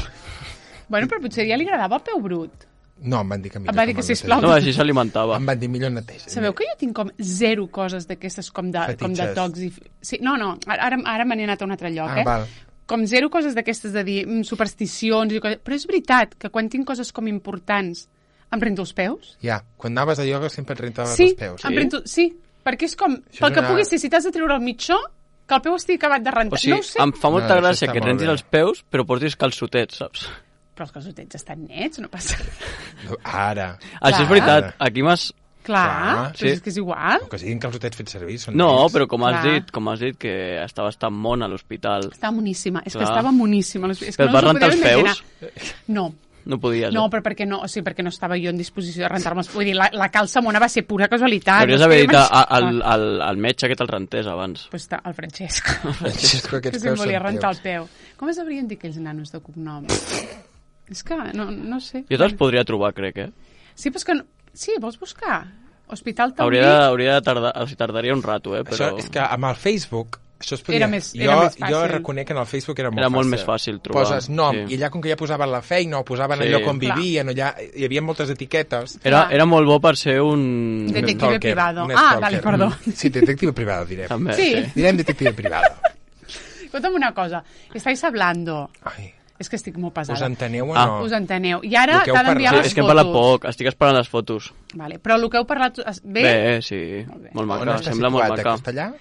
Bueno, però potser ja li agradava el peu brut. No, em van dir que millor Em va dir que que, me'l sisplau, netegi. No, així s'alimentava. Em van dir millor neteja. Sabeu que jo tinc com zero coses d'aquestes com de, com de Fetitxes. tocs i... Sí, no, no, ara, ara me n'he anat a un altre lloc, Ah, eh? val. Com zero coses d'aquestes de dir mm, supersticions i coses... Però és veritat que quan tinc coses com importants em rento els peus? Ja, quan anaves a ioga sempre et rentaves Sí, els peus. em rento... Sí, perquè és com... Això Pel és que una- pugui ser, si t'has de treure el mitjó, que el peu estigui acabat de rentar. O sigui, no ho sé, em fa molta No, això gràcia està que et molt rentis bé. els peus, però portis calçotets, saps? però els calçotets estan nets, no passa res. Ara. Això és veritat. Aquí m'has... Clar, Clar, però sí. és que és igual. Que siguin calçotets fets servir, són No, nets. però com has Clar. dit, com has dit que estaves tan mona a l'hospital. Estava moníssima, és que Clar. estava moníssima. És que Però et no vas us ho rentar podeu els imaginar. peus? No, No podies. no, eh? però perquè no, o sigui, perquè no estava jo en disposició de rentar-me. Vull dir, la, la calça mona va ser pura casualitat. Hauries no d'haver es dit podeu a- a- imaginar. al, al, al metge que te'l rentés abans. Pues està, el Francesc. Francesco, que aquests se'm peus volia són rentar el teus. peu. Com es haurien dit aquells nanos de cognom? És que, no, no sé. Jo te'ls podria trobar, crec, eh? Sí, però és que... No... Sí, vols buscar? Hospital Taulí? Hauria de, hauria de tardar... O sigui, tardaria un rato, eh? Això Però és que amb el Facebook... Això es podia... Era més- jo, era més fàcil. jo reconec que en el Facebook era molt Era fàcil. molt més fàcil trobar, Poses nom, sí. i allà com que ja posaven la feina o posaven Sí. el lloc on Clar. vivien, o allà hi havia moltes etiquetes. era, Clar. era molt bo per ser un... Detective Stalker, privado. un Ah, stalker. vale, perdó. Mm. Sí, detective privado, direm. També, Sí. sí. Direm detective privado. Escolta'm una cosa. Estáis hablando... Ai, És que estic molt us pesada. enteneu o Ah. no? Us enteneu. I ara El que heu t'ha d'enviar Sí, parlat. les és que hem parlat fotos. poc, estic esperant les fotos. Vale. Però el que heu parlat... es- Bé, Bé, eh, sí, bé. molt On maca, està sembla molt situat, a maca. Castellà?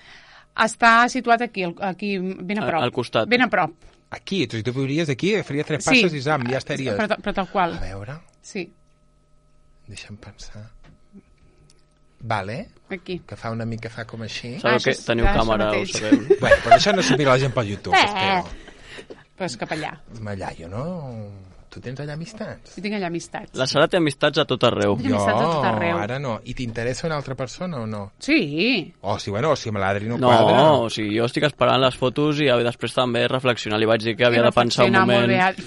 està situat aquí, al- aquí ben a Al- prop. al costat. Ben a prop. Aquí, tu, si tu viuries aquí, faria tres passes i zam, ja estaries. Però, però tal qual. A veure, Sí, deixa'm pensar. Vale, aquí. que fa una mica, fa com així. Ah, Sabeu això que és- teniu això càmera, ho mateix. sabeu. Bueno, però això no s'ho mira la gent pel YouTube, Eh. espero. Però és cap allà. Mallallo, no? Tu tens allà amistats? Jo tinc allà amistats. La Sara té amistats a tot arreu. Jo- amistats a tot arreu. ara no. I t'interessa una altra persona o no? Sí. O si, bueno, o si amb l'Adri no, No, quadra... o sigui, jo estic esperant les fotos i després també reflexionar. Li vaig dir que havia I de pensar un reflexionar molt moment... bé.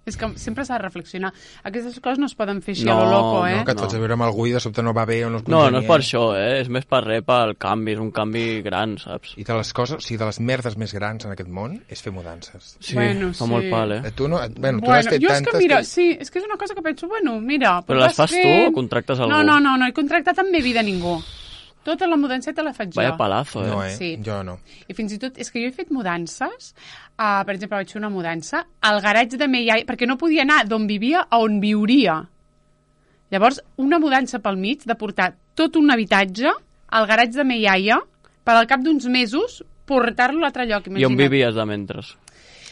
És que sempre s'ha de reflexionar. Aquestes coses no es poden fer així No, a lo loco, eh? No, que et fots a veure amb algú i de sobte no va bé o no es No, no és per congenia. això, eh? És més per res, pel canvi. És un canvi gran, saps? I de les coses, o sigui, de les merdes més grans en aquest món és fer mudances. Sí, Bueno, fa sí. molt pal, eh? Eh, Tu no, bueno, tu Bueno, has fet jo és tantes que, mira, sí, és que és una cosa que penso, bueno, mira... Però vas les fas tu fent- o contractes algú? No, no, no, no, he contractat en mi vida ningú. Tota la mudanceta la faig Vaya jo. palazo, eh? No, eh? Sí. Jo no. I fins i tot, és que jo he fet mudances, uh, per exemple, vaig fer una mudança al garatge de meu iaia, perquè no podia anar d'on vivia a on viuria. Llavors, una mudança pel mig de portar tot un habitatge al garatge de meu iaia per al cap d'uns mesos portar-lo a l'altre lloc, I imagina't. on vivies de mentres?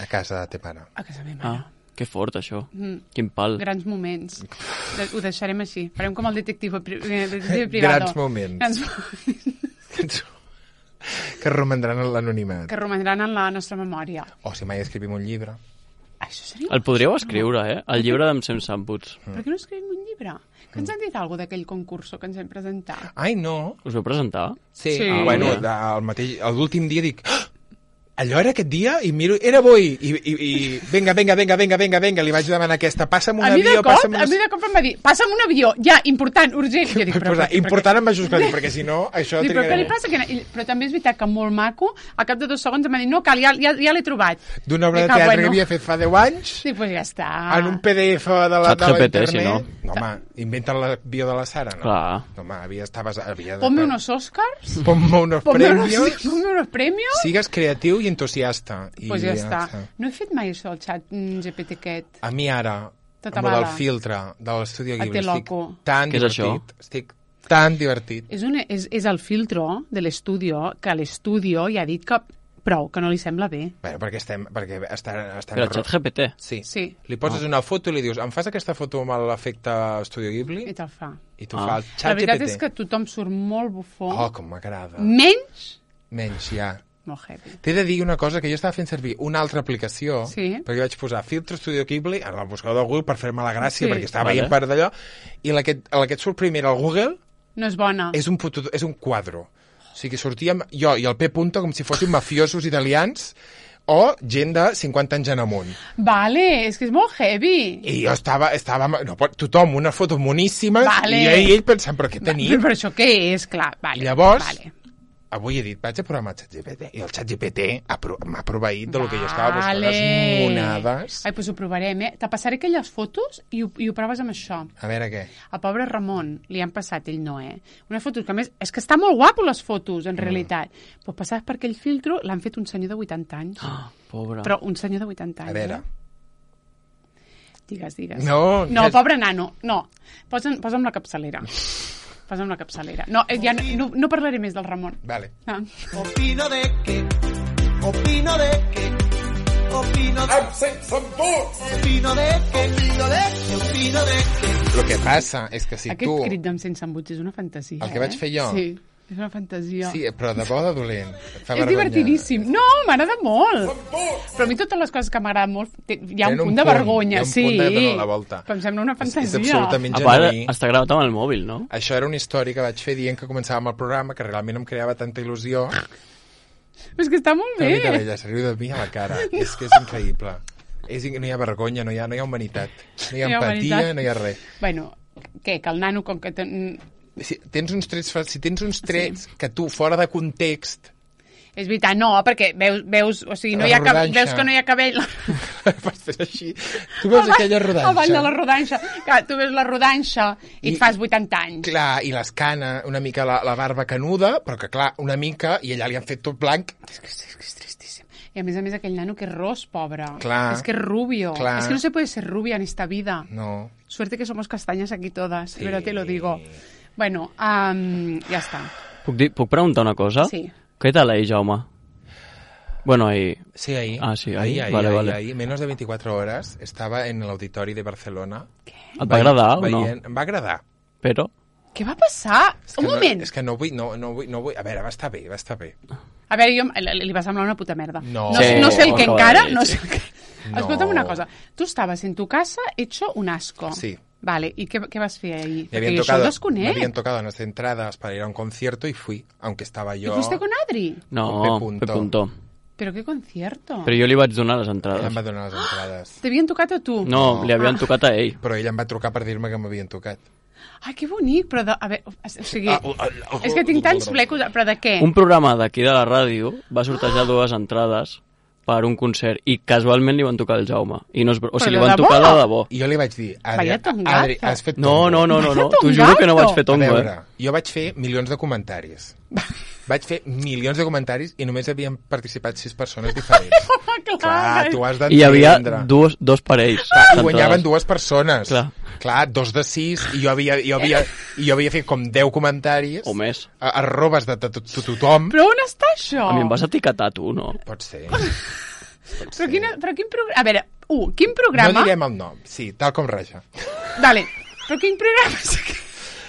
A casa de te pare. A casa meva mare. Ah, que fort, això. Mm. Quin pal. Grans moments. De- Ho deixarem així. Farem com el detective, pri eh, detective privado. Grans moments. Grans moments Que romandran en l'anonimat. que romandran en la nostra memòria. O si mai escrivim un llibre. Això seria... El podríeu escriure, eh? El llibre d'en Sem Samputs. Per què no escrivim un llibre? Que ens han dit alguna d'aquell concurso que ens hem presentat? Ai, no. Us vau presentar? Sí. Sí. Ah, bueno, Ah, de, el mateix, l'últim dia dic... "Ah, allò era aquest dia? I miro, era avui. I, i, i vinga, vinga, vinga, vinga, vinga, vinga, li vaig demanar aquesta. Passa'm un A mi de avió, cop, passa'm... a mi de cop em va dir, passa'm un avió, ja, important, urgent. Jo dic, però, Posar, per què, important en majúscules, perquè si no, això... Dic, però què li trigarà. passa? Que... I- Però també és veritat que molt maco, al cap de dos segons em va dir, no cal, ja, ja, ja l'he trobat. D'una obra de Dic, ah, teatre bueno. que havia fet fa deu anys, Sí, doncs ja està. en un P D F de la, Chat de la G P T, internet... si no. No, home, inventen l'avió de la Sara, no? Clar. No, home, havia, estaves, havia de... Ponme unos Oscars, Ponme unos ponme unos, premios... ponme unos premios. Sigues creatiu i entusiasta. I Pues ja està. No he fet mai això, el xat mm, G P T aquest. A mi ara, Tota amb el del bala. filtre de l'Estudio A Ghibli, te estic loco. tan Què és això? divertit. Estic tan divertit. És, un, és, és el filtro de l'estudio, que l'estudio ja ha dit que prou, que no li sembla bé. Bueno, perquè estem... Perquè estan, estan Però el xat G P T. Sí. Sí, Li poses una foto i li dius, em fas aquesta foto amb l'efecte Estudio Ghibli? i te'l fa. I tu Ah. fa el La xat veritat G P T. és que tothom surt molt bufó, Oh, com m'agrada. menys Menys, ja. molt heavy. T'he de dir una cosa, que jo estava fent servir una altra aplicació, Sí. perquè vaig posar filtre Studio Ghibli en el buscador de Google per fer-me la gràcia, Sí. perquè estava Vale. veient per d'allò, i la que, la que et surt primer al Google No és bona. és un, puto, és un quadro. O sigui, sortíem jo i el P. Punto com si fóssim mafiosos italians o gent de cinquanta anys en amunt. Vale, és que és molt heavy. I jo estava... estava no, pot- tothom, una foto moníssima, Vale. i ell, ell pensant, però què Però, tenim? però això què és? Clar, vale. I llavors, Vale. avui he dit, vaig a provar amb el ChatGPT, i el ChatGPT ha pro- m'ha proveït del que jo estava buscant, Vale. les monades. Ai, doncs ho provarem, eh? Te passaré aquelles fotos i ho, i ho proves amb això. A veure què. Al pobre Ramon li han passat, ell no, eh? Unes fotos que, a més, és que està molt guapo, les fotos, en realitat. Doncs pues passades per aquell filtro l'han fet un senyor de vuitanta anys. Ah, pobre. Però un senyor de vuitanta anys, A veure. eh? Digues, digues. No, no que- pobre nano, no. Posa'm, posa'm la capçalera. Posa'm la capçalera. No, eh, ja no, no, no parlaré més del Ramon. Vale. Ah. Opino de que, opino de que, opino de opino de que, opino de que, opino de que. El que passa és que si Aquest tu... crit d'en sense embuts és una fantasia, El que vaig eh? fer jo? Sí, és una fantasia. Sí, però de bo de dolent. Et fa És vergonya. divertidíssim. No, m'agrada molt. Però a mi totes les coses que m'agraden molt, té- hi ha un Tenen un punt de punt, vergonya. hi ha un sí. punt de donar la volta. Però em sembla una És, fantasia. és absolutament A part, genuí. està gravat amb el mòbil, no? Això era una història que vaig fer dient que començàvem el programa, que realment em creava tanta il·lusió. Però és que està molt Que bé. mica d'ella, se riu de mi a la cara. És que és increïble. És, in- no hi ha vergonya, no hi ha, no hi ha humanitat. No hi ha No hi ha empatia, humanitat. no hi ha res. Bueno, què, que el nano, com que... Ten... Si tens uns trets, fa- si tens uns trets sí. que tu, fora de context, És veritat, no, perquè veus, veus o sigui, no La hi ha cap, rodanxa. veus que no hi ha cabell... pots fer així. Tu veus aquella rodanxa. El ball de la rodanxa. Clar, tu veus la rodanxa i, I- et fas vuitanta anys. Clar, i l'escana, una mica la, la barba canuda, però que clar, una mica, i allà li han fet tot blanc. És que, és que és tristíssim. I a més a més aquell nano que és ros, pobre. Clar. Es que es rubio. Clar. Es que no se puede ser rubia en esta vida. No. Suerte que somos castañas aquí todas, Sí. pero te lo digo. Bueno, um, ja està. Puc, dir, puc preguntar una cosa? Sí. Què tal ell, Jaume? Bueno, ahí... Sí, ahí. Ah, sí, ahí. ahí, ahí, Vale, ahí, vale. ahí. Menos de veinticuatro horas estava en l'auditori de Barcelona. Et va agradar o no? Veient... Em va agradar. Però... Què va passar? És que Un no, moment. És que no vull, no, no, vull, no vull... A veure, va estar bé, va estar bé. A veure, jo, li li va semblar una puta merda. No. no, Sí, no sé el que acaba encara, de dir, no sí. sé el que... No. Escolta'm una cosa. Tu estaves en tu casa hecho un asco. Sí. Vale, ¿y qué, qué vas a hacer ahí? Me habían, Porque yo tocado, eso desconec. me habían tocado unas entradas para ir a un concierto y fui, aunque estaba ¿Y yo... fuiste con Adri? No, Con P. Punto. P. Punto. ¿Pero qué concierto? Però jo li vaig donar les Ella entrades. em va donar les entrades. T'havien tocat a tu? No, li havien Ah. tocat a ell. Però ella em va trucar per dir-me que m'havien tocat. Ai, que bonic, però de... A veure, o sigui... Ah, ah, ah, és que tinc tants flecos, però de què? Un programa d'aquí de la ràdio va sortejar dues entrades per un concert i casualment li van tocar el Jaume. I no és... O sigui, de li van debò? tocar de debò. I jo li vaig dir, Adri, Vaya tongazo. Adri has fet No, tongo. no, no, no, no. Vaya T'ho juro que no vaig fer A tongo, veure, eh? jo vaig fer milions de comentaris. Vaig fer milions de comentaris i només havien participat sis persones diferents. Clar, Clar, tu has I hi havia d'entendre. dos, dos parells. Clar, i d'entrades. guanyaven dues persones. Clar. Clar, dos de sis, i jo havia, jo havia, i jo havia fet com deu comentaris. O més. A, arrobes de, de, de, de tothom. Però on està això? A mi em vas etiquetar tu, no? Pot ser. Però, quina, però quin programa... A veure, un, quin programa... No direm el nom, sí, tal com raja. Vale, però quin programa és aquest?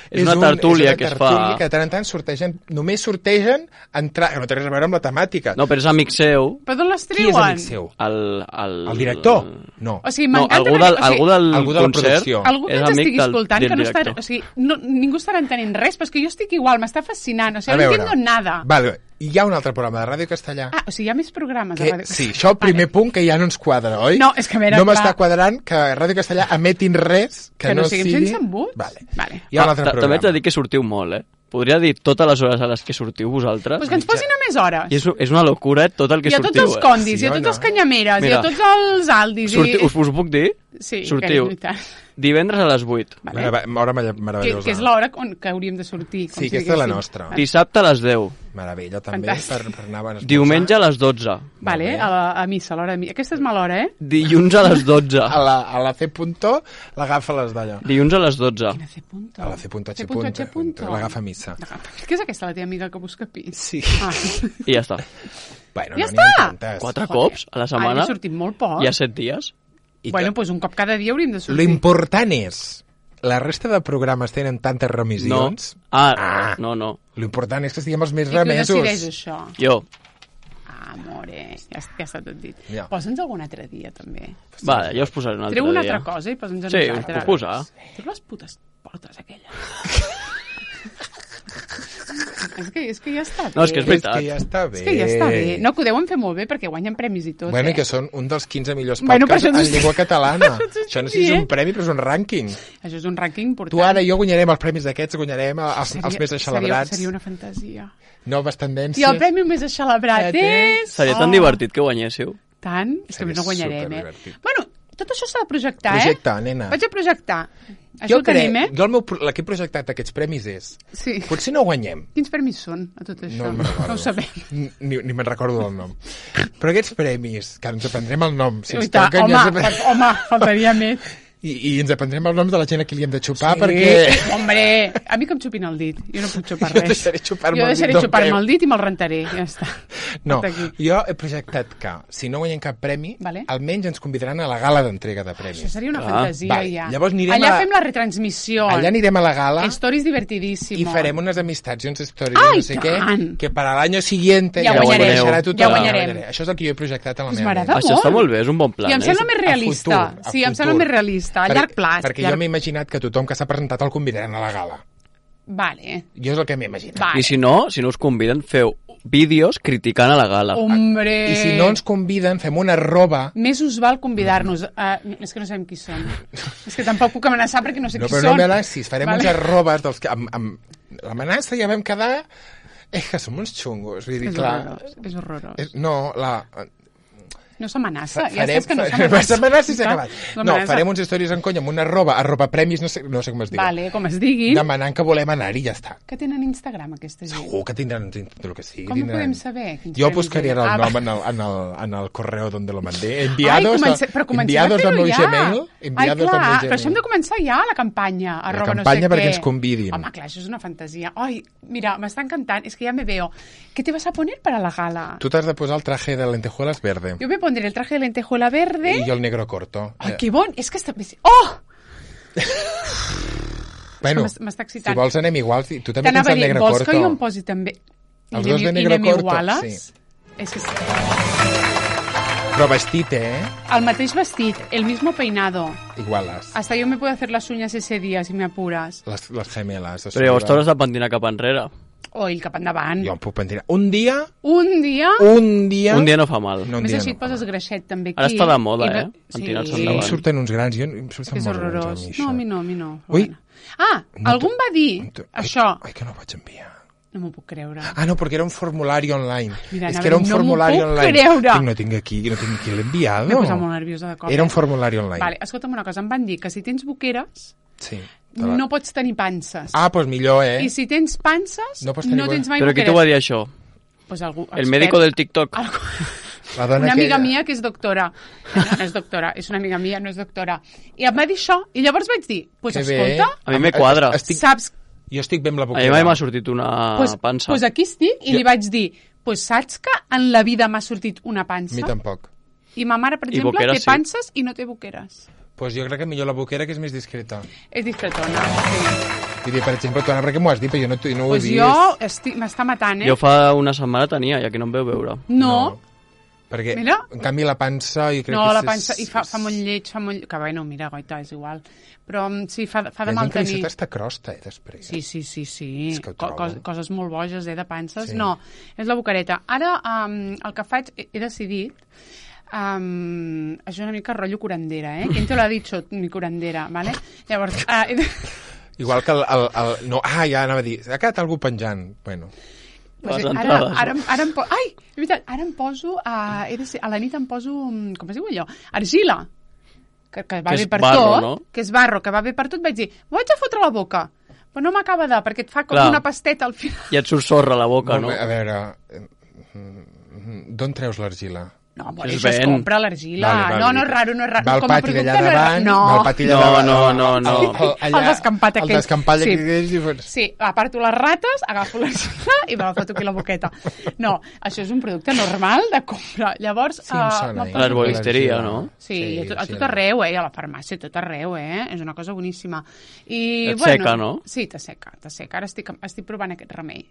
És una un- tertúlia és una que es tertúlia fa... que de tant en tant sortegen, només sortegen entrar, que no té res a veure amb la temàtica. No, però és amic seu. Però d'on les Qui és treuen? amic seu? El, el... El director? No. O sigui, No, m'encanta... algú perquè- del, o sigui, algú del algú de la concert producció. Algú que és ens amic estigui del, escoltant, del que no està... director. O sigui, no, ningú estarà entenent res, però és que jo estic igual, m'està fascinant. O sigui, A no veure. entiendo nada. Vale, hi ha un altre programa de ràdio castellà. Ah, o sigui, hi ha més programes Que, a Ràdio sí, això el primer punt que ja no ens quadra, oi? No, és que a veure, No m'està clar. quadrant que Ràdio Castellà emetin res que, Que no no siguin sigui... sense embuts? Vale. Vale. Hi ha un Ah, altre ta- També programa. haig de dir que sortiu molt, eh? Podria dir totes les hores a les que sortiu vosaltres. Pues que ens posin a més hores. I és, és una locura, eh, tot el que I a tots sortiu. els condis, Sí i a o tots no? els canyameres, i Mira. a tots els aldis. Sortiu, I... us, us puc dir? Sí, sortiu que és veritat. divendres a les vuit, Vale. Mare- Hora merav- Que, meravellosa. que és l'hora on que hauríem de sortir. Com Sí, si aquesta és la diguéssim. nostra. Vale. dissabte a les deu, Meravella, també, Fantàstic. per, per anar a esmorzar. diumenge a les dotze, Vale, Molt bé. a, la, a missa, a l'hora de missa. Aquesta és mala hora, eh? dilluns a les dotze, A la, a la C punto l'agafa les d'allò. dilluns a les dotze. Quina C punto? A la C punto H C punto, H punto, punto. l'agafa a missa. Què és aquesta, la teva amiga que busca pis? Sí. Ah. I ja està. Bueno, Ja no n'hi ha està! tantes. Quatre Joder. cops a la Ara setmana, he sortit molt poc. hi ha set dies. I Bueno, que- doncs pues un cop cada dia hauríem de Lo sortir. important és, la resta de programes tenen tantes No. remissions. Ah, Ah. no, no. Lo important és que estiguem els més I qui ho remesos. decideix, això? Jo. Ah, amore, ja, ja està tot dit. Ja. Posa'ns algun altre dia, també. Vale, ja us posaré un altre Treu una dia. altra cosa i posa'ns a Sí, us nosaltres. puc posar. Treu les putes portes, aquelles. és, que, és que ja està bé. No, és que és És veritat. que ja està bé. És que ja està bé. No, que ho deuen fer molt bé perquè guanyen premis i tot, Bueno, eh? i que són un dels quinze millors Bueno, per podcasts això t'ho en estic- llengua catalana. per això t'ho Això no sé estic si és un dient. premi, però és un rànquing. Això és un rànquing important. Tu ara i jo guanyarem els premis d'aquests, guanyarem els, els més seria, celebrats. seria una fantasia. Noves tendències. I el premi més celebrat és... Seria tan Oh, divertit que guanyéssiu. Tant? És que Seria no guanyarem, eh? superdivertit. Bueno, tot això s'ha de projectar, Projecta, eh? nena. Vaig a projectar. Això Jo ho tenim, crec, eh? jo el, meu, pro- el que he projectat d'aquests premis és, Sí. potser no guanyem, Quins premis són, a tot això? no me'n recordo. No ho sabem. Ni, ni me'n recordo del nom. Però aquests premis, que ens aprendrem el nom, si ens Uita, toquen home, ja ens apren- fa- home, faltaria més. I, i ens aprendrem els noms de la gent a qui li hem de xupar, Sí, perquè Hombre, a mi que em xupin el dit. Jo no puc xupar Jo res. deixaré xupar-me jo el dit deixaré del xupar-me premi. el dit i me'l rentaré. Ja està. no, Hasta aquí. jo he projectat que si no guanyem cap premi, Vale. almenys ens convidaran a la gala d'entrega de Això premis. seria una Clar. fantasia, Vale, ja. llavors anirem Allà a- fem la retransmissió. Allà anirem a la gala Stories divertidíssimos. i farem unes amistats i uns stories, Ai, no sé què, tant! que per a l'any siguiente Ja ho guanyarem, coneixerà tothom. ja guanyarem. Això és el que jo he projectat a la Pues meva m'agrada ment. Això està molt. molt bé, és un bon plan. I em eh? sembla més A realista. futur, a sí, em sembla futur. més realista. A Per- llarg plaç. Perquè llarg... jo m'he imaginat que tothom que s'ha presentat el convidaran a la gala. Vale. Jo és el que m'he imaginat. Vale. I si no, si no us conviden, feu vídeos criticant a la gala. Hombre... I si no ens conviden, fem una roba... Més us val convidar-nos. Uh, és que no sabem qui són. és que tampoc puc amenaçar perquè no sé No, qui però són. no m'amenacis, farem Vale. uns arrobes dels que... Amb, amb... L'amenaça ja vam quedar... És que som uns xungos, vull dir, És clar... horrorós. És horrorós. És, no, la... No s'amenaça, Fa- ja farem- saps que no fa- s'amenaça. s'amenaça i s'ha acabat. No No, amenaça. farem uns stories en conya amb una arroba, arroba premis, no sé, no sé com es diu. Vale, com es diguin. Demanant que volem anar-hi i ja està. Que tenen Instagram, aquesta gent. Segur que tindran el que sigui. Com ho tindran. podem saber? Quins Jo premis buscaria hi ha? el Ah, nom va. en el, en, el, en el correo donde lo mandé. Enviados, Ai, comence, a- però comencem enviados a al fer-ho meu ja. Gmail. Ai, Enviados clar, al meu però això hem de començar ja, la campanya. Arroba campanya no sé perquè què. ens convidin. Home, clar, això és una fantasia. Ai, mira, m'està encantant, és que ja me veo. ¿Qué te vas a poner para la gala? Tu t'has de posar el traje de lentejuelas verde. Yo me pondré el traje de lentejuela verde. I jo el negro corto. Ai, Eh, que bon! És que està... Oh! Bueno, m'es- m'està excitant. si vols anem iguals. Tu també tens T'anava a el dir, negre vols corto. que jo em posi també... Els I dos de anem- i negre anem corto, iguales? sí. És que sí. Però vestit, eh? El mateix vestit, el mismo peinado. Iguales. Hasta yo me puedo hacer las uñas ese día, si me apuras. Les, les gemeles. O Però llavors t'hauràs de pentinar cap enrere. O el cap endavant. Jo em puc pentinar. Un dia... Un dia... Un dia... Un dia no fa mal. No, un Més dia així no. et poses greixet també aquí. Ara està de moda, I no- eh? Pentinar-se Sí. Em endavant. surten uns grans, jo em És surten que és molt grans a horrorós. mi, No, això. a mi no, a mi no. Ui. Bueno. Ah, No algú em va dir Ai, això. Ai, que no ho vaig enviar. No m'ho puc creure. Ah, no, perquè era un formulari online. Mira, és anava que era un a dir, no m'ho formulari puc online. creure. Tinc, no tinc aquí, no tinc aquí l'enviado. M'he posat molt nerviosa de cop. Era un eh? formulari online. Vale, escolta'm una cosa, em van dir que si tens boqueres Sí. te la- no pots tenir panses. Ah, doncs pues millor, eh? I si tens panses No no, pots tenir tens mai Però qui boqueres. t'ho va dir això? Pues algú, El expert. médico del TikTok. Algú- La dona Una amiga aquella. mia que és doctora. No, no és doctora, és una amiga mia, no és doctora. I em va dir això, i llavors vaig dir, pues Que bé. escolta, A mi me quadra. Estic, saps, jo estic bé amb la A mi boquera. mai m'ha sortit una pues, pansa. pues aquí estic, i Jo- li vaig dir, pues saps que en la vida m'ha sortit una A mi pansa? tampoc. I ma mare, per I exemple, boqueres, té sí. panses i no té boqueres. Doncs pues jo crec que millor la boquera, que és més discreta. És discretona. Sí. Vull dir, per exemple, tu, Anna, perquè m'ho has dit, però jo no, no ho he Pues vist. jo estic, m'està matant, eh? Jo fa una setmana tenia, ja que no em veu veure. No, Perquè, Mira. en canvi, la pansa... Jo crec no, que la és- pansa, i fa, fa molt lleig, fa molt... Que bueno, mira, goita, és igual. Però mm, sí, fa, fa Hi de ha mal gent que li tenir. surt hasta crosta, eh, després. Sí, sí, sí, sí. És que ho Co trobo. cos coses molt boges, eh, de panses. Sí. No, és la boquereta. Ara, um, el que faig, he, he decidit... Um, això és una mica rotllo curandera, eh? Quin te l'ha dit, mi curandera, vale? Llavors, uh, he de... Igual que el... el, el no, ah, ja anava a dir, ha quedat algú penjant. Bueno, Pues Les ara, entrades, ara, no? ara, em po... Ai, és veritat, ara em poso... A, he de ser, a la nit em poso... mm, Com es diu allò? Argila. Que, que va Que bé és per barro, tot. no? Que és barro, que va bé per tot. Vaig dir, m'ho haig de fotre a la boca. Però no m'acaba de... Perquè et fa com Clar. una pasteta al final. I et surt sorra a la boca, no? a veure, eh, mm, d'on treus l'argila? No, bueno, És això es ben. compra a l'argila. Vale, vale. No, no és raro, no és raro. Va al Com a pati producte d'allà no és raro. davant, No. va al pati No, d'allà davant. no, no, no. El, allà, El descampat el aquell. descampat Sí. aquell. i fos- Sí, aparto les rates, agafo l'argila i me la foto aquí a la boqueta. No, això és un producte normal de compra. Llavors... Sí, em eh, sona, me'n eh? poso- A l'herboristeria, l'argila. no? Sí, sí, a, tot, a sí, tot arreu, eh? A la farmàcia, a tot arreu, eh? És una cosa boníssima. I, Et bueno, seca, no? Sí, t'asseca, t'asseca. Ara estic, estic provant aquest remei.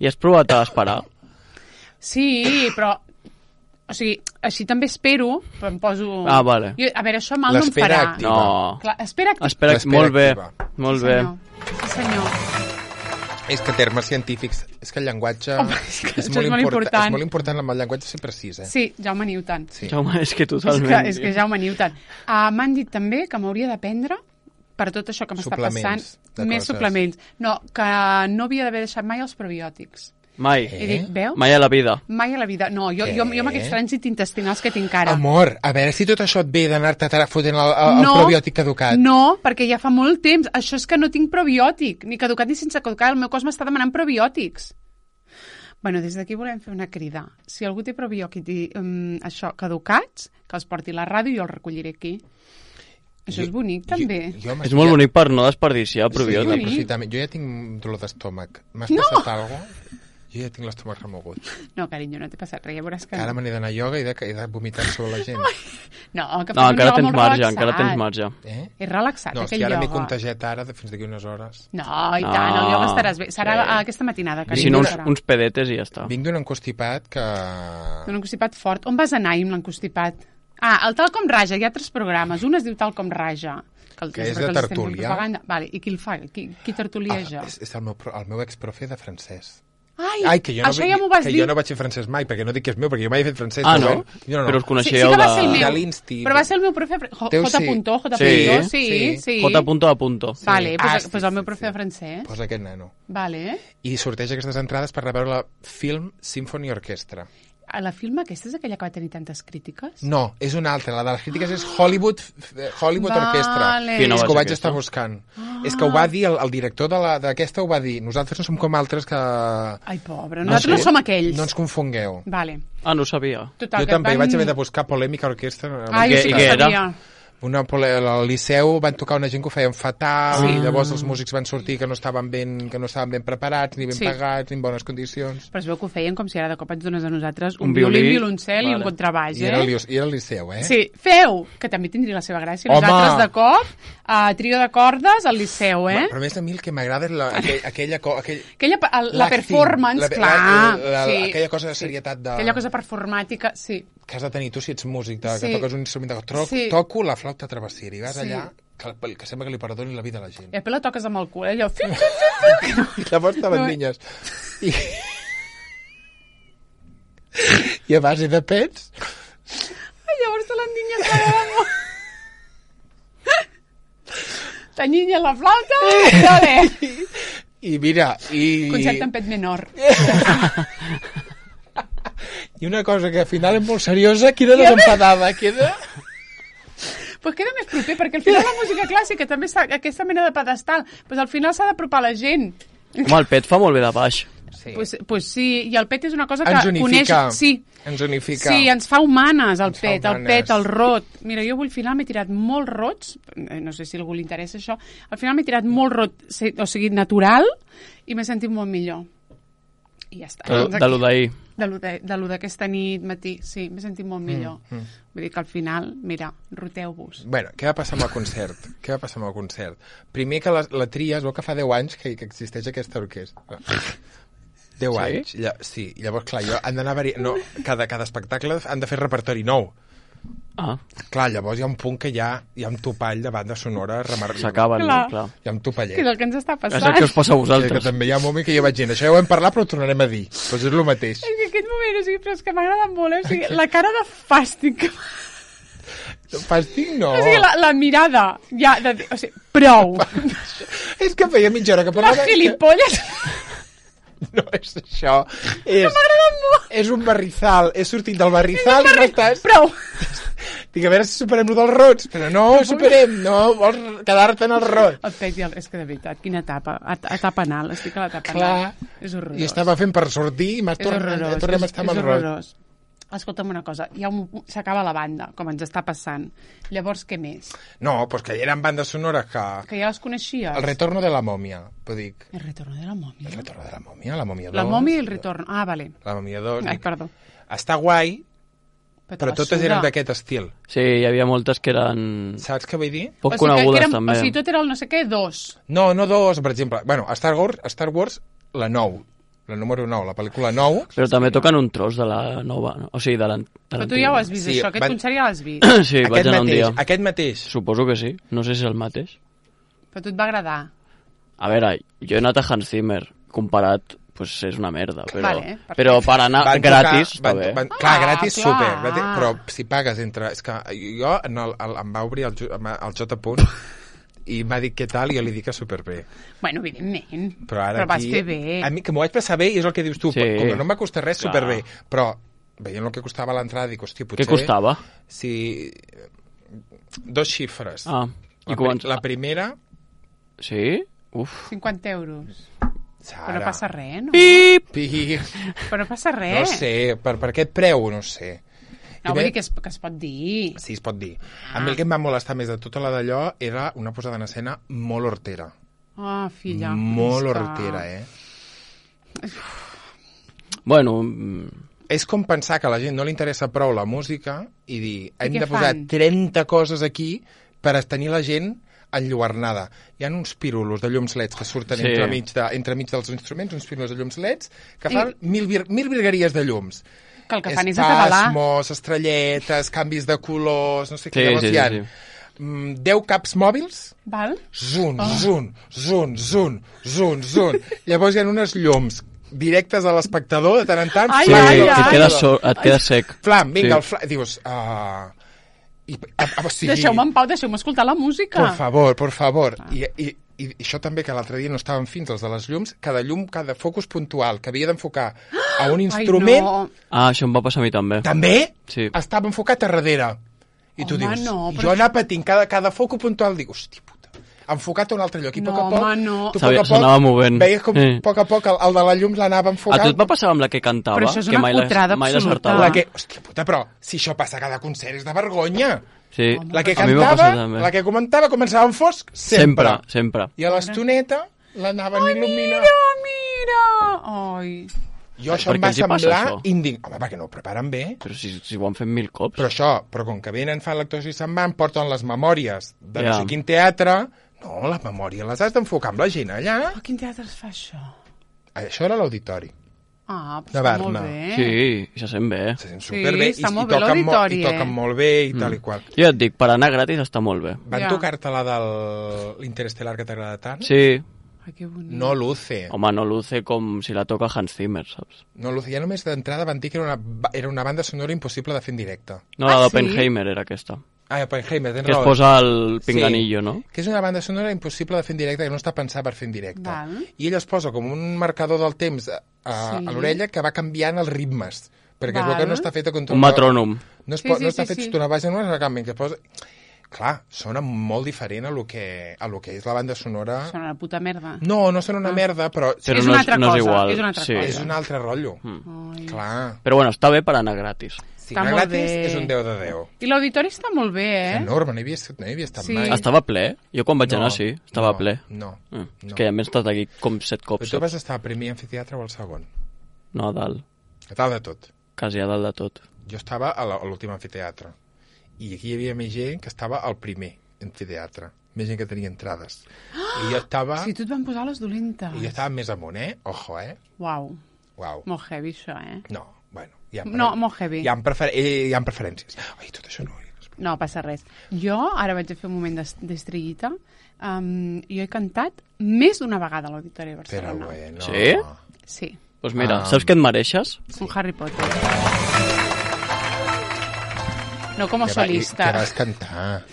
I has provat a esperar? Sí, però... O sigui, així també espero, però em poso... Ah, vale. Jo, a veure, això mal no em L'espera farà. activa. No. Clar, espera activa. Espera, L'espera molt bé, activa. molt sí, bé. senyor. Sí, senyor. És que termes científics, és que el llenguatge Home, és que és, això molt és molt important, important. és molt important amb el llenguatge ser precís, eh? Sí, Jaume Newton. Sí. Jaume, és que És totalment. que, és que Jaume Newton. Uh, M'han dit també que m'hauria de prendre per tot això que m'està Suplements passant. de Més coses. suplements. No, que no havia d'haver deixat mai els probiòtics. Mai. He dit, veu? Mai a la vida. Mai a la vida. No, jo, Què? jo, jo amb aquests trànsits intestinals que tinc ara. Amor, a veure si tot això et ve d'anar-te ara fotent el, el, el probiòtic caducat. No, perquè ja fa molt temps. Això és que no tinc probiòtic, ni caducat ni sense caducar. El meu cos m'està demanant probiòtics. Bueno, des d'aquí volem fer una crida. Si algú té probiòtics um, això, caducats, que els porti a la ràdio i jo els recolliré aquí. Això és bonic, també. Jo, jo És molt bonic per no desperdiciar Sí, probiòtics. l'aprofitament. Jo ja tinc dolor d'estómac. M'has No! passat alguna cosa? Jo ja tinc l'estómac remogut. No, carinyo, no t'he passat res, ja veuràs que... Ara me n'he d'anar a ioga i he de, he de vomitar sobre la gent. No, que No, fas un encara ioga tens molt marge, relaxat. encara tens marge. Eh? És relaxat, No, és aquell que ara m'he ioga. contagiat ara de, fins d'aquí unes hores. No, i tant, el ioga No. estaràs bé. Serà Sí. aquesta matinada, I carinyo. si no, uns, serà. uns pedetes i ja està. Vinc d'un encostipat que... Un encostipat fort. On vas anar ahir amb l'encostipat? Ah, el Tal com Raja, hi ha tres programes. Un es diu Tal com Raja. el, Que és perquè de els estem fent tertúlia. propaganda. Vale, i qui el fa? Qui, qui tertulieja? Ah, és, és el meu, pro- el meu exprofe de francès. Ai, Ai, que jo no, això ja m'ho vas que dir. jo no vaig fer francès mai, perquè no dic que és meu, perquè jo mai he fet francès. Ah, però no? bueno, jo no, no. Però us Sí, sí coneixeu que va de... ser el meu. de l'Insti. Però va ser el meu profe... J. Teu J. sí. Punto, J. Sí. Punto, sí, Sí. sí. J. punto a punto. Vale, Sí. pues, Ah, sí, pues el sí, meu sí, profe sí. de francès. Posa aquest nano. Vale. I sorteja aquestes entrades per anar a veure la Film Symphony Orchestra. A la film aquesta és aquella que va tenir tantes crítiques? No, és una altra. La de les crítiques és Hollywood, Hollywood Vale. Orchestra. Quina És va que ho ser vaig aquesta? estar buscant. És que ho va dir, el, el director de la- d'aquesta ho va dir. Nosaltres no som com altres que... Ai, pobre, nosaltres no, sé. som aquells. No ens confongueu. Vale. Ah, no ho sabia. Total, Jo que també van... vaig haver de buscar Polèmica Orquestra. Ai, I jo què- sí i que què era? sabia. Una pole... Al Liceu van tocar una gent que ho feien fatal, Sí. i llavors els músics van sortir que no estaven ben, que no estaven ben preparats, ni ben Sí. pagats, ni en bones condicions. Però es veu que ho feien com si ara de cop ens dones a nosaltres un, Un violí, violí, un violoncel i un vale. contrabaix, I era, el, eh? Liu- I era el Liceu, eh? Sí, feu, que també tindria la seva gràcia. Home! Nosaltres de cop, a trio de cordes al Liceu, eh? Però a més a mi el que m'agrada és la, aquell, aquella... co- Aquell, Aquella, el, la l'acting, performance, la- clar. la- la- sí, aquella cosa de serietat de- Aquella cosa performàtica, sí. que has de tenir tu si ets músic, de, Sí. que toques un instrument de tro, Sí. toco la flauta travessera i vas Sí. allà que, que sembla que li perdoni la vida a la gent. I després la toques amb el cul, eh? Allò... I llavors estaven No. niñes. I... I a base de pets... Ai, llavors te l'endinyes la meva. T'enyinyes la flauta, dale. I mira, i... Concert en pet menor. I una cosa que al final és molt seriosa, queda desempadada, queda... Pues queda més proper, perquè al final la música clàssica també s'ha, aquesta mena de pedestal, pues al final s'ha d'apropar la gent. Home, el pet fa molt bé de baix. Sí. Pues, pues sí, i el pet és una cosa que Ens unifica. coneix... Sí, Ens unifica. sí, ens fa humanes el Ens fa pet, el humanes. pet, el rot. Mira, jo avui al final m'he tirat molt rots, eh, no sé si a algú li interessa això, al final m'he tirat molt rot, sí, o sigui, natural, i m'he sentit molt millor. I ja està. De, Doncs de aquí- lo d'ahir. de lo de- de lo d'aquesta nit, matí, sí, m'he sentit molt millor. Mm, mm. Vull dir que al final, mira, roteu-vos. Bueno, què va passar amb el concert? Què va passar amb el concert? Primer que la, la tria, es veu que fa deu anys que, que existeix aquesta orquestra. deu Sí? anys. Lla, sí, i llavors, clar, jo, han d'anar vari... no, cada, cada espectacle han de fer repertori nou. Ah, Clar, llavors hi ha un punt que ja hi ha un topall de banda sonora remarcable. s'acaben, no? Clar. Clar. Hi ha un topallet. Que és el que ens està És passant. el que us passa a Sí, que vosaltres. també hi ha un moment que jo vaig dir, això ja ho hem parlat però ho tornarem a dir. Doncs és el mateix. És que aquest moment, o sigui, però és que m'agrada molt, eh? O sigui, la cara de fàstic que Fàstic no. O sigui, la, la mirada, ja, de, o sigui, prou. És que feia mitja hora que Les parlava... gilipolles. No és això. És, M'agrada molt. és un barrizal. He sortit del barrizal i no estàs... Prou. Dic, a veure si superem lo dels rots. Però no ho superem, no vols quedar-te en el rot. El pet, i el- és que de veritat, quina etapa. Et- Etapa anal, estic a l'etapa Clar. anal. És horrorós. I estava fent per sortir i m'has És tornat, horrorós. tornem a és, estar amb és el rot. horrorós. Escolta'm una cosa, hi ha un, s'acaba la banda, com ens està passant. Llavors, què més? No, doncs que eren bandes sonores que... Que ja les coneixies? El retorno de la mòmia, t'ho dic. El retorno de la mòmia. El retorno de la mòmia, la mòmia dos. La mòmia i el retorno. Ah, vale. La mòmia dos. Ai, dic, perdó. Està guai, te però la totes suda. eren d'aquest estil. Sí, hi havia moltes que eren Saps què vull dir? poc O sigui, que- que conegudes, eren- també. O sigui, tot era el no sé què, dos. No, no dos, per exemple. Bueno, a Star Wars, a Star Wars la nou, la número nou, la pel·lícula nou. Però també toquen un tros de la nova, no? O sigui, de l'an- de Però tu ja ho has l'antiga. vist, Sí, això. Aquest van- concert ja l'has vist. Sí, vaig aquest anar un mateix, dia. aquest mateix. Suposo que sí. No sé si és el mateix. Però a tu et va agradar. A veure, jo he anat a Hans Zimmer. Comparat, pues és una merda. Però, Vale, perfecte. però per anar Van gratis, tocar, van, està bé. van, clar, Ah, gratis, clar. super. Gratis, però si pagues entre... És que jo en el, el, em va obrir el, Ju- el J. Punt i m'ha dit què tal i jo li dic que superbé. Bueno, evidentment. Però ara Però vas aquí... fer bé. A mi, que m'ho vaig passar bé i és el que dius tu. Sí. Com que no em va costar res, Clar. superbé. Però veient el que costava l'entrada, dic, hòstia, potser... Què costava? Si... Dos xifres. Ah, i la, quants? pri- la primera... Sí? Uf. cinquanta euros. Sara, Però no passa res, no? Pip! Pi, Però no passa res. no sé, per, per aquest preu, no sé. No, I vull bé- dir que es, que es pot dir. Sí, es pot dir. A mi el que em va molestar més de tota la d'allò era una posada en escena molt hortera. Ah, filla. molt és que- hortera, eh? Bueno, mm, És com pensar que a la gent no li interessa prou la música i dir, hem què de posar fan? trenta coses aquí per tenir la gent enlluernada. Hi ha uns pirulos de llums leds que surten Sí. sí. entre, mig de, entre mig dels instruments, uns pirulos de llums leds, que fan I- mil, vir, mil virgueries de llums. Que el que fan és atabalar. Espasmos, estrelletes, canvis de colors, no sé què. Sí, Llavors sí, hi ha sí, mm, deu caps mòbils, Val? zun, Oh. zun, zun, zun, zun, zun. Llavors hi ha unes llums directes a l'espectador de tant en tant. Ai, sí, ai, que ai. et quedes, so, et quedes sec. Flam, vinga, Sí. el flam. Dius, ah... I, a, a, o sigui, Deixeu-me en pau, deixeu-me escoltar la música. por favor, por favor. I, i i això també, que l'altre dia no estaven fins els de les llums, cada llum, cada focus puntual que havia d'enfocar a un instrument, Ai, no. Ah, això em va passar a mi també. també Sí. estava enfocat a darrere. I tu Home, dius, no, però jo anar patint cada, cada focus puntual, dic, hòstia puta, enfocat a un altre lloc. I a No, poc a poc, home, no. tu a S'havia- poc a poc s'anava movent. veies com Sí. a poc a poc el, el de la llum l'anava A enfocant. tu et va passar amb la que cantava? Però això és que una mai la- putrada mai absoluta. l'acertava. La que, hòstia puta, però si això passa a cada concert és de vergonya. Sí. La que A mi m'ha cantava, passat també. la que comentava començava en fosc sempre. Sempre, sempre. I a l'estoneta l'anaven il·luminant. Mira! Ai. Jo això Per em què va els hi passa, semblar això? indignant. Home, perquè no ho preparen bé. Però si, si ho han fet mil cops. Però això, però com que venen, fan l'actuació i se'n van, porten les memòries de no Ja. sé quin teatre. No, les memòries les has d'enfocar amb la gent allà. A quin teatre es fa això? Això era l'auditori. Ah, però De està molt Berna. bé. Sí, i se sent bé. Se sent Sí, superbé. està i, molt i bé toquen, mo l'auditori, i eh? toquen molt bé i tal i qual. Jo et dic, per anar gratis està molt bé. Van Ja. tocar-te la de l'Interestel·lar que t'agrada tant? Sí. Ai, que bonic. No luce. Home, no luce com si la toca Hans Zimmer, saps? No luce. Ja només d'entrada van dir que era una, ba- era una banda sonora impossible de fer en directe. No, Ah, la sí? d'Oppenheimer era aquesta. Ah, Oppenheimer, tens Que es raó. posa el pinganillo, Sí, no? que és una banda sonora impossible de fer en directe, que no està pensada per fer en directe. Val. I ell es posa com un marcador del temps a, a, Sí. a l'orella que va canviant els ritmes, perquè es Val. veu que no està feta contra Un metrònom. No, es Sí, po sí, no està sí, fet sí. una base, no és una canvi, que es posa... Clar, sona molt diferent a lo que, a lo que és la banda sonora. Són una puta merda. No, no sona una Ah. merda, però, Però és no una és- altra no és cosa, igual, és una altra sí. cosa. és un altre rotllo. Ai. Clar. Però bueno, està bé per anar gratis. Si Està no molt gratis, bé. és un deu de deu. I l'auditori està molt bé, És eh? enorme, no hi havia, no hi havia estat Sí. mai. Estava ple? Jo quan vaig No, anar sí, estava no, ple. No, Ah, no. És que ja m'he estat aquí com set Però cops. tu vas estar al primer amfiteatre o al segon? No, a dalt. A dalt de tot. Quasi a dalt de tot. Jo estava a la- a l'últim amfiteatre. I aquí hi havia més gent que estava al primer amfiteatre. Més gent que tenia entrades. I jo estava... Si tu et van posar les dolentes. I jo estava més amunt, eh? Ojo, eh? Uau, Uau. molt heavy això, eh? No, bueno. Hi ha No, molt heavy. Hi ha, prefer eh, hi ha preferències. Ai, tot això no... No passa res. Jo, ara vaig a fer un moment d'es- d'estrellita, um, jo he cantat més d'una vegada a l'Auditori de Però Barcelona. bueno... Sí? Sí, Doncs mira, Ah. saps què et mereixes? un Harry Potter. No como Que va- i- solista. Que vas cantar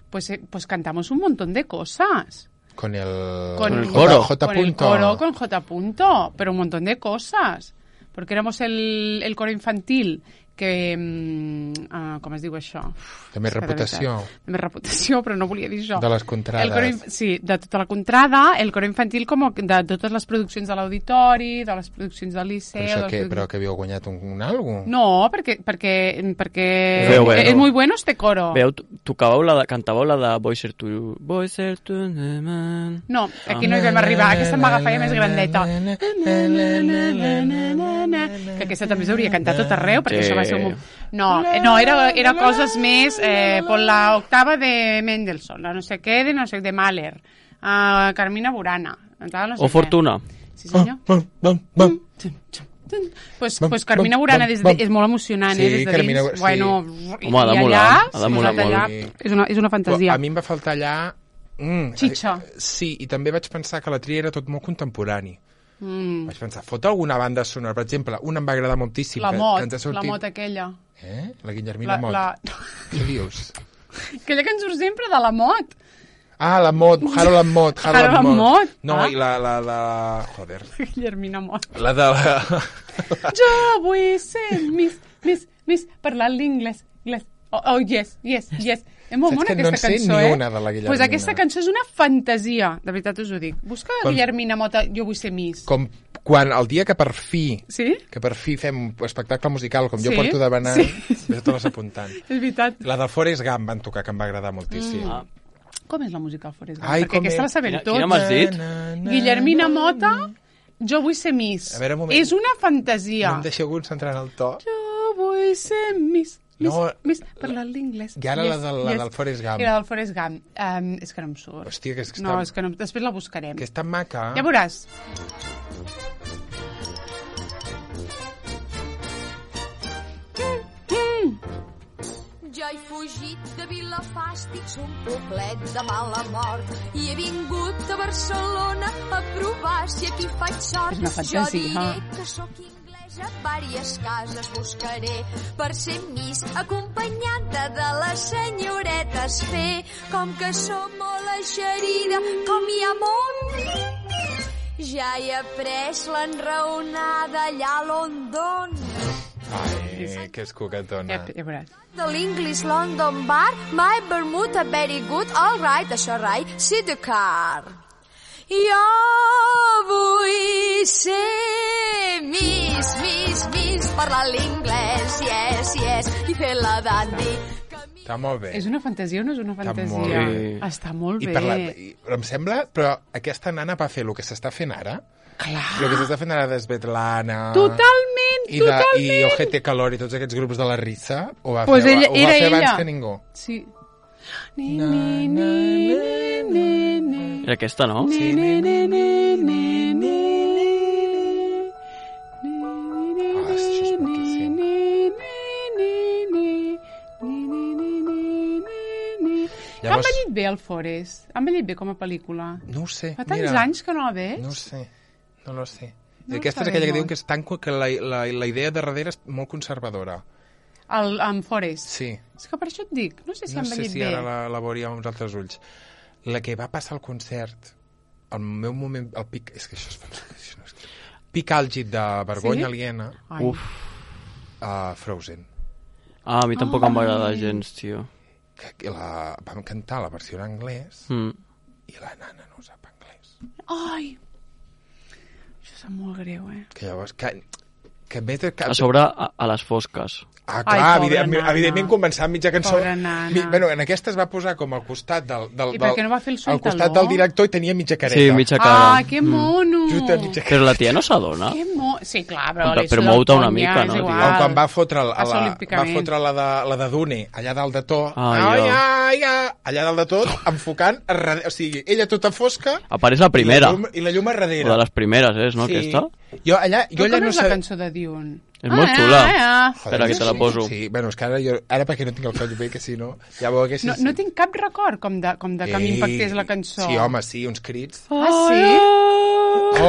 Pues, eh, pues cantamos un montón de cosas. con el... Con el coro. J. Con el punto. coro, con J. punto, pero un montón de cosas. Porque éramos el, el coro infantil que... Mm, uh, com es diu això? Uf, De més és que reputació. veritat, De més reputació, però no volia dir això. De les contrades. El coro, inf- sí, de tota la contrada, el coro infantil com de totes les produccions de l'auditori, de les produccions del Liceu... Però això de les què? produc- Però que havíeu guanyat un, un algo? No, perquè, perquè, perquè Veu, veu. és muy bueno este coro. Veu, tocàveu la de, cantàveu la de Voy ser tu... Voy ser tu... man. No, aquí no hi vam arribar. Aquesta em va agafar ja més grandeta. Que aquesta també s'hauria cantat tot arreu, perquè Sí. això va ser un... No, eh, no era, era coses més... Eh, por la octava de Mendelssohn, la no sé què, de no sé, de Mahler, uh, Carmina Burana, tal, no sé O què. Fortuna. Sí, senyor. Bum, bum, bum. Pues, Bum, pues Carmina bum, Burana bum, des de, bum. és molt emocionant, Sí, eh? Des de Carmina dins. Bu- sí. Bueno, Home, ha de i molar, allà, ha de molar posat allà, molt. és una, és una fantasia. A mi em va faltar allà... Mm, Xitxa. eh, Sí, i també vaig pensar que la tria era tot molt contemporani. Mm. Vaig pensar, fot alguna banda sonora? Per exemple, una em va agradar moltíssim. La que, Mot, que ens ha sortit... la Mot aquella. Eh? La Guillermina La, Mot. la... Què dius? Aquella que ens surt sempre de la Mot. Ah, la Mot, Harold and Mot. Harold and Mot. No, Ah. i la, la, la... Joder. Guillermina Mot. La de la... Jo vull ser Miss, Miss, Miss, parlant l'inglès. Inglès. Oh, oh, yes, yes, yes. És molt Saps bona que no aquesta en sé cançó, ni eh? una de la Guillermina. Pues aquesta cançó és una fantasia, de veritat us ho dic. Busca Com- Guillermina Mota, jo vull ser Miss. Com quan el dia que per fi Sí? que per fi fem un espectacle musical com jo Sí? porto demanant, Sí. ja te l'has apuntant. És veritat. La del Forrest Gump van tocar, que em va agradar moltíssim. Ah. Com és la música del Forrest Gump? Ai, Perquè com aquesta és? la sabem Quina- tots. quina m'has dit? Na, na, Guillermina na, Mota, na. jo vull ser Miss. A veure, un moment. És una fantasia. No em deixeu concentrar en el to. Jo vull ser Miss. Miss, No, Miss, parlant l'inglès. I ara la del- la del Forrest Gump. Era del Forrest Gump. Um, és que no em surt. Hòstia, que és que No, està- és que no, després la buscarem. Que és tan maca. Ja veuràs. Jo he fugit de Vilafàstic, un poblet de mala mort, i he vingut a Barcelona a provar si aquí faig sort. És una fantasia. Jo diré que sóc inglès. Vàries cases buscaré per ser Miss, acompanyada de les senyoretes fer, com que som molt eixerida, com hi ha molt. Ja he après l'enraonada allà a London. Ai, que és coquetona. Ja, ja veuràs. De l'English London Bar, my Bermuda very good, all right, això rai, see the car. Jo vull ser Miss, Miss, Miss, parlar l'inglès, yes, yes, i fer la dandy. Està molt bé. És una fantasia o no és una Està fantasia? molt bé. Està molt I bé. per la, i, em sembla, però aquesta nana va fer el que s'està fent ara. Clar. El que s'està fent ara d'Esvetlana... Totalment, I, de, totalment. I Ojete Calor i tots aquests grups de la Rissa ho va Pues fer, ella, ho va era fer abans ella. que ningú. Sí. Ni, ni, ni, ni, ni, ni. Era aquesta, no? Ni, ni, ni, ni, ni, ni. Ah, això és maquíssim. Ha envellit bé el Forest. Ha envellit bé com a pel·lícula. No ho sé, Fa tants mira. anys que no la veig. No ho sé, no lo sé. No I aquesta és sabem aquella que molt. diuen que és tan, que la, la, la idea de darrere és molt conservadora. El, en Forest. Sí. És que per això et dic, no sé si No ha sé envellit si bé. ara la, la veuria amb uns altres ulls. La que va passar al concert, el meu moment, el pic, és que això és fantastic, no és que... pic àlgid de vergonya Sí? aliena, Ai. Uf. a Frozen. Ah, a mi tampoc em va agradar gens, tio. Que, que la, vam cantar la versió en anglès Mm. i la nana no sap anglès. Ai. Això sap molt greu, eh? Que llavors, que, que, que, que A sobre, a, a les fosques. Ah, Ai, clar, pobra evidentment, nana. evidentment començant mitja cançó. Pobra nana. Mi, bueno, en aquesta es va posar com al costat del... del, I per què del no va fer el al sueltaló? costat del director i tenia mitja careta. Sí, mitja cara. Ah, que mono! Just a mitja careta. Però la tia no s'adona. Que mo... Sí, clar, però... Però- li però suda el mou-te una conya, mica, és no, igual. tio? O quan va fotre, la, Passa la, va olímpicament. fotre la de, la de Dune, allà dalt de tot, Ah, ai, jo. ai, ai, allà dalt de tot, enfocant, a darrere, o sigui, ella tota fosca, Apareix la primera. i la llum, i la llum a darrere. O de les primeres, és, no, Sí. aquesta? Jo allà, jo Però allà com no és la sé... cançó de Dune? És molt xula. Ah, ah. Espera, que te la poso. Sí, bueno, és que ara, jo, ara perquè no tinc el coll bé, que si no, ja ho haguessis... No, no tinc cap record com de, com de que m'impactés la cançó. Sí, home, sí, uns crits. Ah, sí?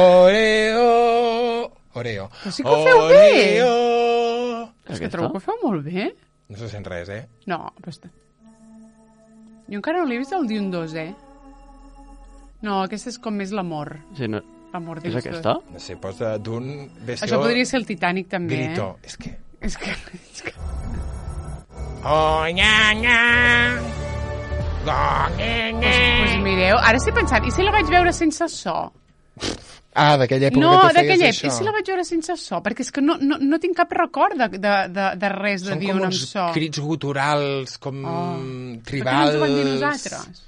Oreo, Oreo. Però sí que ho feu bé. Oreo. És que Aquesta? trobo que ho feu molt bé. No se sent res, eh? No, però està... Jo encara no l'he vist el Dune dos, eh? No, aquesta és com més l'amor. Sí, no. L'amor És dins aquesta? No sé, posa d'un... Això podria ser el Titanic, també, Grito. eh? És que... És que... És que... Oh, nya, nya. Oh, nya, nya. Pues mireu, ara estic pensant, i si la vaig veure sense so? Ah, d'aquella època No, que tu feies d'aquella això. època, i si la vaig veure sense so? Perquè és que no, no, no tinc cap record de, de, de, de res de Són dir com un amb uns so. crits guturals, com Oh. tribals... Per què no ens ho van dir nosaltres?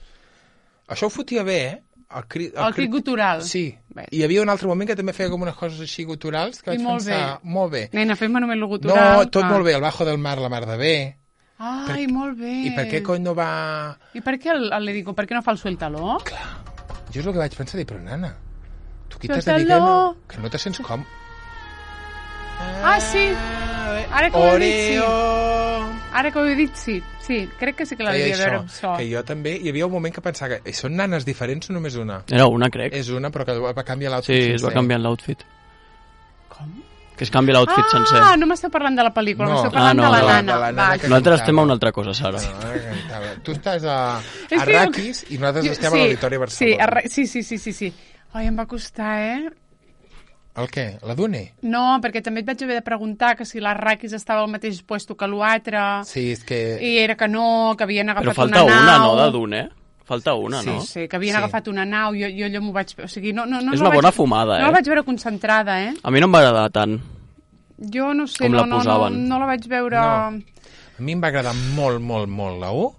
Això ho fotia bé, eh? El crit, El crit gutural. Sí. Bé. I hi havia un altre moment que també feia com unes coses així guturals que I vaig molt pensar... Molt bé. Nena, fem-me només el No, gutural. tot Ah. molt bé. El Bajo del Mar, la mar de bé. Ai, molt bé. I per què cony no va... I per què el, el, le digo, per què no fa el sueltaló? Jo és el que vaig pensar, dir, però nana, tu aquí t'has de dir que Suéltalo. no, que no te sents com... Ah, sí. Ara que ho he dit, sí. Oreo! Ara que ho he dit, sí. Sí, crec que sí que la Feia devia veure això, amb so. que jo també... Hi havia un moment que pensava que són nanes diferents o només una? Era una, crec. És una, però que va canviar Sí, l'outfit es va sencer. canviant l'outfit. Com? Que es canvia l'outfit sencer. Ah, no m'esteu parlant de la pel·lícula, No. m'esteu parlant Ah, no, de la no, nana. de la nana Va, que- Nosaltres cantava. estem a una altra cosa, Sara. No, ara cantava. Tu estàs a, És a que jo- Raquis i nosaltres estem sí, a l'Auditori Sí, Barcelona. a Ra- sí, sí, sí, sí, sí. Ai, em va costar, eh? El què? La Dune? No, perquè també et vaig haver de preguntar que si la Raquis estava al mateix puesto que l'altre, Sí, és que... i era que no, que havien agafat Però falta una una, nau. no, de Dune, eh? Falta una, Sí, no? Sí, que havien Sí. agafat una nau, jo, jo allò m'ho vaig... O sigui, no, no, no, És no una la bona vaig, fumada, No eh? la vaig veure concentrada, eh? A mi no em va agradar tant. Jo no sé, Com no, la no, no, posaven. no la vaig veure... No. A mi em va agradar molt, molt, molt la u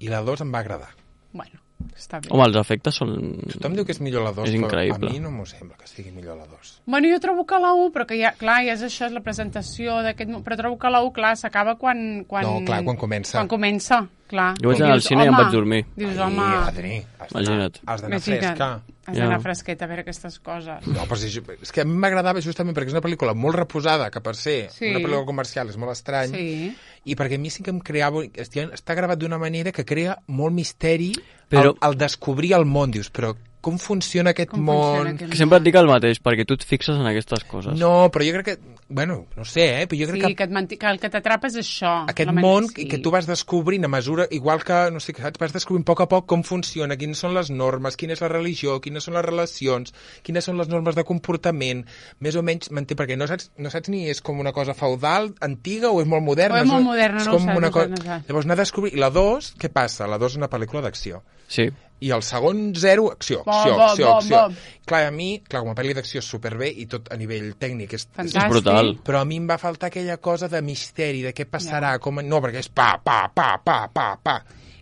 i la dos em va agradar. Bueno, està bé. Home, els efectes són... Tothom diu que és millor la dos, És però increïble. a mi no m'ho sembla que sigui millor la dos. Bueno, jo trobo que la u, però que ja, clar, ja és això, és la presentació d'aquest... mo- Però trobo que la u, clar, s'acaba quan, quan... No, clar, quan comença. Quan comença, clar. Jo vaig I anar al dius, cine i em home, vaig dormir. Dius, Ai, home, Adri, has d'anar- Imagina't. has d'anar imagina't, fresca. has d'anar Ja. fresquet a veure aquestes coses. No, però si, és que a mi m'agradava justament perquè és una pel·lícula molt reposada, que per ser Sí. una pel·lícula comercial és molt estrany, Sí. i perquè a mi sí que em creava... Està, està gravat d'una manera que crea molt misteri Però- al, al descobrir el món. Dius, però com funciona aquest Com món... funciona aquest Que sempre et dic el mateix, perquè tu et fixes en aquestes coses. No, però jo crec que... Bueno, no sé, eh? Però jo crec Sí, que... que, et manti... que el que t'atrapa és això. Aquest la man- món sí. que tu vas descobrint a mesura, igual que, no sé, saps, vas descobrint a poc a poc com funciona, quines són les normes, quina és la religió, quines són les relacions, quines són les normes de comportament, més o menys, m'entén, perquè no saps, no saps ni és com una cosa feudal, antiga, o és molt moderna. O és molt moderna, és no ho com saps, una no cosa... saps, no saps. Llavors, anar a descobrir... I la dos, què passa? La dos és una pel·lícula d'acció. Sí. I el segon zero, acció, Bom, acció, bom, acció, bom, acció. bom. Clar, a mi, clar, com a pel·li d'acció és superbé i tot a nivell tècnic és, Fantàstic. És brutal. però a mi em va faltar aquella cosa de misteri, de què passarà, com... No, perquè és pa, pa, pa, pa, pa, pa.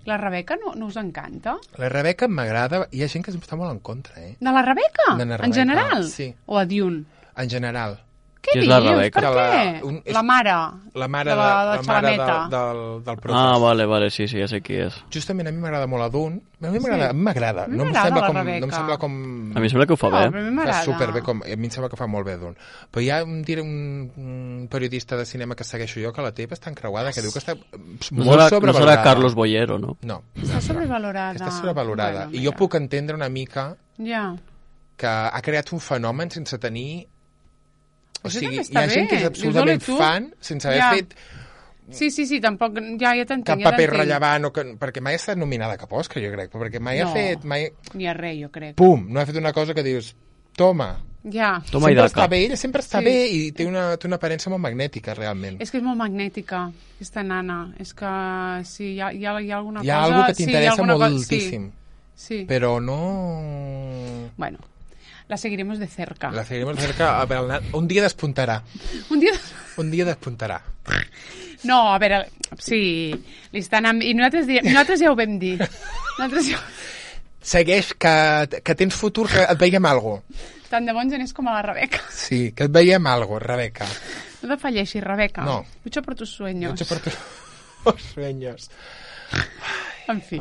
La Rebeca no, no us encanta? La Rebeca m'agrada, hi ha gent que està molt en contra, eh? De la Rebeca? De la Rebeca, En general? sí. O a Dune? En general. Què Qui és dius? la Rebeca? Per La- què? un- és- La mare. La mare, de de, la, la de mare de, Xalameta. del, del Protos. Ah, vale, vale, sí, sí, ja sé qui és. Justament a mi m'agrada molt a Dune. A mi m'agrada, Sí. a mi m'agrada. A mi No, em m'agrada sembla la com, Rebeca. no em sembla com... A mi em sembla que ho fa No, bé. però a mi Fa m'agrada. superbé, com, a mi em sembla que fa molt bé Dune. Però hi ha un, diré, un, un periodista de cinema que segueixo jo, que la té bastant creuada, que diu que està No molt serà, no sobrevalorada. serà Carlos Boyero, no? No, Està sobrevalorada. està sobrevalorada. Bueno, I jo mira. puc entendre una mica Ja. que ha creat un fenomen sense tenir... O Això sigui, també hi està ha gent que és bé. absolutament Dius, ole, tu. fan sense haver Ja. fet Sí, sí, sí, tampoc... Ja, ja t'entenc. cap ja paper t'entenc. rellevant, o que, perquè mai ha estat nominada a cap Òscar, jo crec, perquè mai No. ha fet... Mai, Ni a res, jo crec. pum, no ha fet una cosa que dius, toma, Ja. Toma i sempre daca. està bé, ella sempre està Sí. bé i té una, té una aparença molt magnètica, realment. És que és molt magnètica, aquesta nana. És que sí, hi ha, hi ha, hi ha alguna Hi ha cosa... alguna que sí, hi ha t'interessa alguna cosa- moltíssim, Sí, sí. però no... Bueno, la seguiremos de cerca. La seguirem de cerca, a veure, un dia despuntarà, Un dia... un dia despuntarà. No, a veure, sí, li estan... Amb... I nosaltres, diem... nosaltres ja ho vam dir. Nosaltres ja... Segueix, que, que tens futur, que et veiem algo. Tant de bon geners com a la Rebeca. Sí, que et veiem algo, Rebeca. No te falleixis, Rebeca. No. Lucha por tus sueños. Lucha por tus sueños. En fi.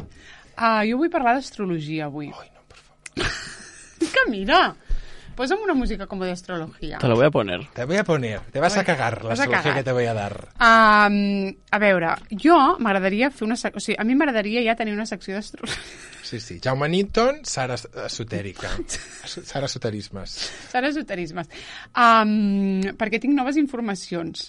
Uh, jo vull parlar d'astrologia avui. Ai, no, por favor. Que mira, posa'm una música com de astrología. Te la voy a poner. Te voy a poner, te vas a cagar la Vas a solució cagar. que te voy a dar. Um, a veure, jo m'agradaria fer una... sec- O sigui, a mi m'agradaria ja tenir una secció d'astrologia. Sí, sí. Jaume Newton, Sara Esotèrica. Sara Esoterismes. Serà esoterismes. Um, perquè tinc noves informacions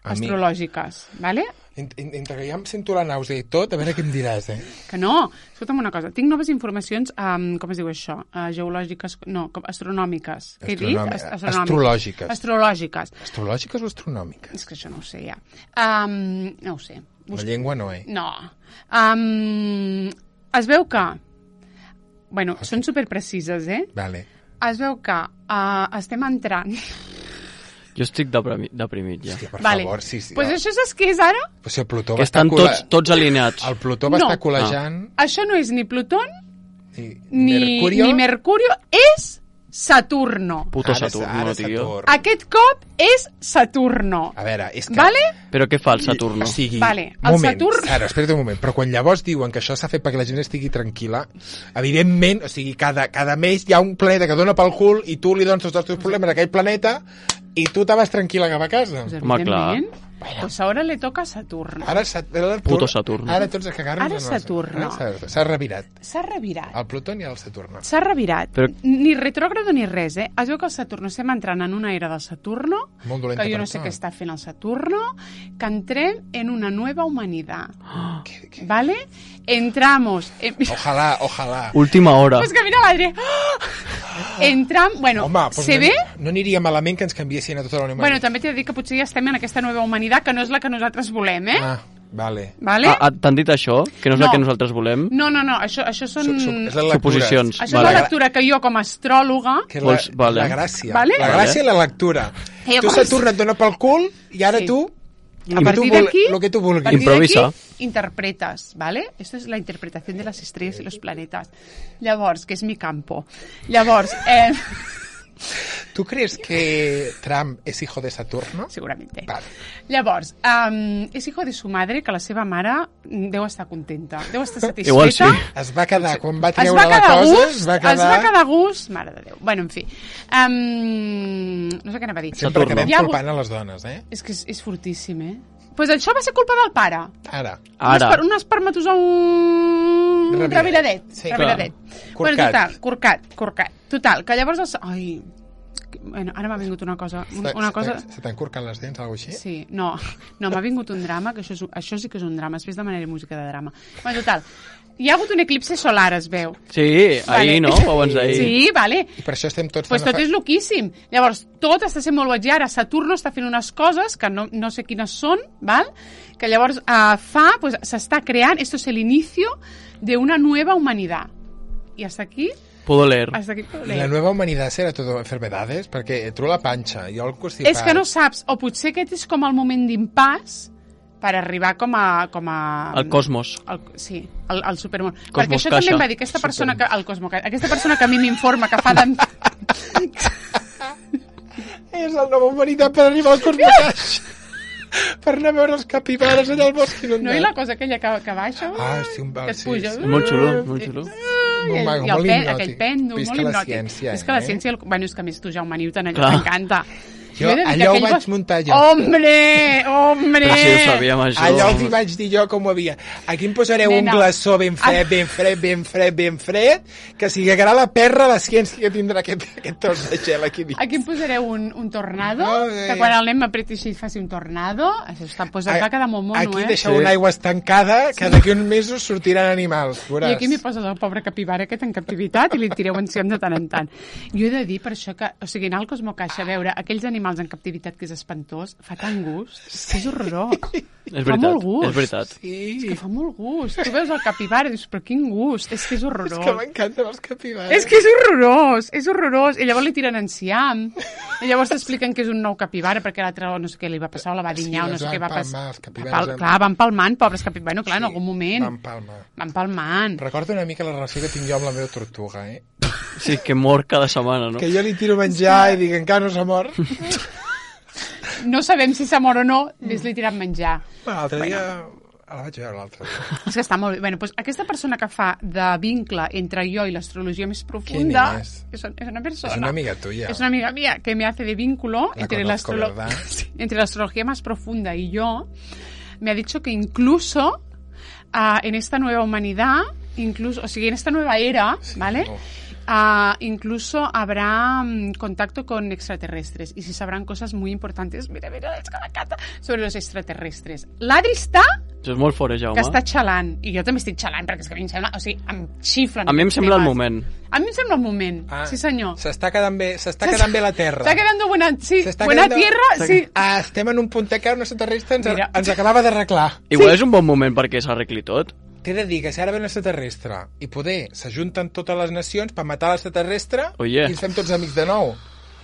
A mi- astrològiques, vale? Ent- ent- Entre que ja em sento la nàusea i tot, a veure què em diràs, eh? Que no, escolta'm una cosa, tinc noves informacions, um, com es diu això? Uh, geològiques, no, com, astronòmiques. Què he dit? Astronomi- Ast- astronòmiques. astrològiques. Astrològiques. Astrològiques o astronòmiques? És que això no ho sé ja. Um, no ho sé. La llengua no, eh? No. Um, es veu que... Bueno, són superprecises, eh? Vale. Es veu que uh, estem entrant... Jo estic deprimi- deprimit ja. Hòstia, per vale. favor, sí, sí. Pues el, això saps què és ara? pues si el Plutó Que va estar estan col·la- tots, tots alineats. El Plutó va No. estar col·lejant... Això no és ni Plutón I, ni Mercurio... ni Mercurio, és Saturno. Puto Ara- Saturno, ara tio. Saturn. Aquest cop és Saturno. A veure, és que... Vale? Però què fa el Saturno? O sigui, Vale, el moment, Saturn- Ara, espera't un moment, però quan llavors diuen que això s'ha fet perquè la gent estigui tranquil·la, evidentment, o sigui, cada, cada mes hi ha un planeta que dona pel cul i tu li dones tots els teus problemes a aquell planeta i tu te vas tranquil·la cap a casa. Pues, Home, clar. evidentment, Pues ahora le toca a Saturno. Ara, Sat- ara, Puto Saturn. Ara tots a cagar-nos. Ara en el- Saturno. Ara s'ha- S'ha revirat. S'ha revirat. El Plutó i el Saturno. S'ha revirat. Però- Ni retrògrado ni res, eh? Es veu que el Saturno estem entrant en una era del Saturno, Molt dolenta que jo no per sé tu. què està fent el Saturno, que entrem en una nueva humanidad. Què- què- ¿Vale? Entramos... En... Ojalà, ojalà. Última hora. Pues que mira l'Adri. Entram... Bueno, Home, doncs se no, ve... no aniria malament que ens canviessin a tota la humanitat. Bueno, també t'he de dir que potser ja estem en aquesta nova humanitat, que no és la que nosaltres volem, eh? Ah, vale. Vale? Ah, ah, T'han dit això? Que no és No. el que nosaltres volem? No, no, no, això, això són... Su- su- és la lectura. Suposicions. Això Vale. és la lectura que jo, com a astròloga... Que és la, Vols- vale. la gràcia. Vale? La gràcia i la lectura. Eh, tu com- Saturn et dona pel cul i ara Sí. tu... A partir tu vol- d'aquí, lo que tu a vulguis. partir Improvisa. d'aquí, interpretas, ¿vale? Esto es la interpretación de las estrellas y los planetas. Llavors, que és mi campo. Llavors, eh, ¿Tú crees que Trump es hijo de Saturno? seguramente. Vale. Llavors, um, és hijo de su madre, que la seva mare mm, deu estar contenta, deu estar satisfeta. Igual sí. Es va quedar, quan va Es treure va la quedar a cosa, gust, es va quedar... es va quedar a gust, mare de Déu. Bueno, en fi. Um, no sé què anava a dir. Sempre Saturno. acabem Hi ha culpant a les dones, eh? És que és, és fortíssim, eh? Pues això va ser culpa del pare. Ara. Ara. Un, esper un espermatozou Reviradet. reviradet. Sí, reviradet. clar. Bueno, Corcat. total, corcat, corcat. Total, que llavors... Els... Ai, bueno, ara m'ha vingut una cosa. Una, una cosa... Se t'han corcat les dents, alguna cosa així? Sí, no, no m'ha vingut un drama, que això, és, això sí que és un drama, després demanaré música de drama. Bueno, total, hi ha hagut un eclipse solar, es veu. Sí, ahir, no? O abans d'ahir. Sí, vale. I per això estem tots... Pues fent tot afa- és loquíssim. Llavors, tot està sent molt boig. I ara Saturno està fent unes coses que no, no sé quines són, val? Que llavors uh, fa, pues, s'està creant, esto es el inicio de una nueva humanidad. I hasta aquí... Puedo leer. Hasta aquí puedo leer. La nueva humanidad serà todo enfermedades? Perquè tu la panxa, jo el constipat... És que no saps, o potser aquest és com el moment d'impàs per arribar com a... Com a El cosmos. El, sí, el, el supermón. Cosmos Perquè això Caixa. també em va dir aquesta persona que... El Cosmo Caixa. Aquesta persona que a mi m'informa que fa de... És la nova humanitat per arribar al Cosmocaix. Per anar a veure els capibares allà al bosc inundat. No, i la cosa aquella que, que baixa... Ah, sí, un val, que et sí, puja. sí. És molt xulo, molt xulo. Molt I, maco, i el molt pe, hipnòtic. aquell pèndol, Visca molt la hipnòtic. ciència, És que la eh? ciència... El... Bueno, és que a més tu, Jaume Newton, allò Clar. t'encanta. Jo he de dir que allò ho aquell vaig bosc- muntar jo. Hombre, hombre! Però si ho sabíem, això. Allò els hi vaig dir jo com ho havia. Aquí em posareu Nena. un glaçó ben fred, ben fred, ben fred, ben fred, que si cagarà la perra la ciència que tindrà aquest, aquest tros de gel aquí dins. Aquí em posareu un, un tornado, No, eh. que quan el nen m'apreti així faci un tornado, això està, pues, et va quedar molt mono, Aquí eh? deixeu Sí. una aigua estancada, que d'aquí uns mesos sortiran animals. I Veuràs. aquí m'hi poses el pobre capibara aquest en captivitat i li tireu enciam de tant en tant. Jo he de dir per això que, o sigui, anar al Cosmocaixa a veure aquells animals en captivitat que és espantós, fa tant gust, que és horrorós. És Fa molt veritat, gust. és veritat. Sí. És que fa molt gust. Tu veus el capibara i dius, però quin gust, és que és És horrorós. que m'encanten els capibares. És que és horrorós, és horrorós. I llavors li tiren enciam. I llavors t'expliquen que és un nou capibara perquè l'altre no sé què li va passar, o la va dinyar, Sí, o no els sé què van va passar. palmar, els capibares Pal- van- Clar, van palmant, pobres capibares. Bueno, clar, en Sí, algun moment. Van palmar. Van palmant. Recordo una mica la relació que tinc jo amb la meva tortuga, eh? Sí, que mor cada setmana, no? Que jo li tiro menjar i dic, encara no s'ha mort. No sabem si s'ha mort o no, vés-li tirant menjar. Bueno, l'altre dia... La vaig veure l'altre dia. És que està molt bé. Bueno, doncs aquesta persona que fa de vincle entre jo i l'astrologia més profunda... ¿Quién es? És, és una persona. Es una amiga tuya. Es una amiga mía que me hace de vínculo La entre, conozco, la ¿verdad? sí, entre la astrología más profunda y yo. Me ha dicho que incluso uh, en esta nueva humanidad, incluso, o sea, en esta nueva era, Sí, ¿vale? no. Uh, incluso habrá um, contacto con extraterrestres y se sabrán cosas muy importantes, mira, mira, és que m'encanta, sobre los extraterrestres. L'Adri està Això és molt fort, eh, Jaume? que està xalant, i jo també estic xalant, perquè és que a mi em sembla, o sigui, em xiflen. A mi em aquests sembla el temes. moment. A mi em sembla el moment, Ah, sí senyor. S'està quedant bé, s'està quedant bé la Terra. Està quedando buena, sí, S'està buena quedando- tierra, sí. Ah, estem en un punt que un extraterrestre ens, Mira. ens acabava d'arreglar. Igual és un bon moment perquè s'arregli tot. T'he de dir que si ara ve un extraterrestre i poder s'ajunten totes les nacions per matar l'extraterrestre Oye. i ens fem tots amics de nou.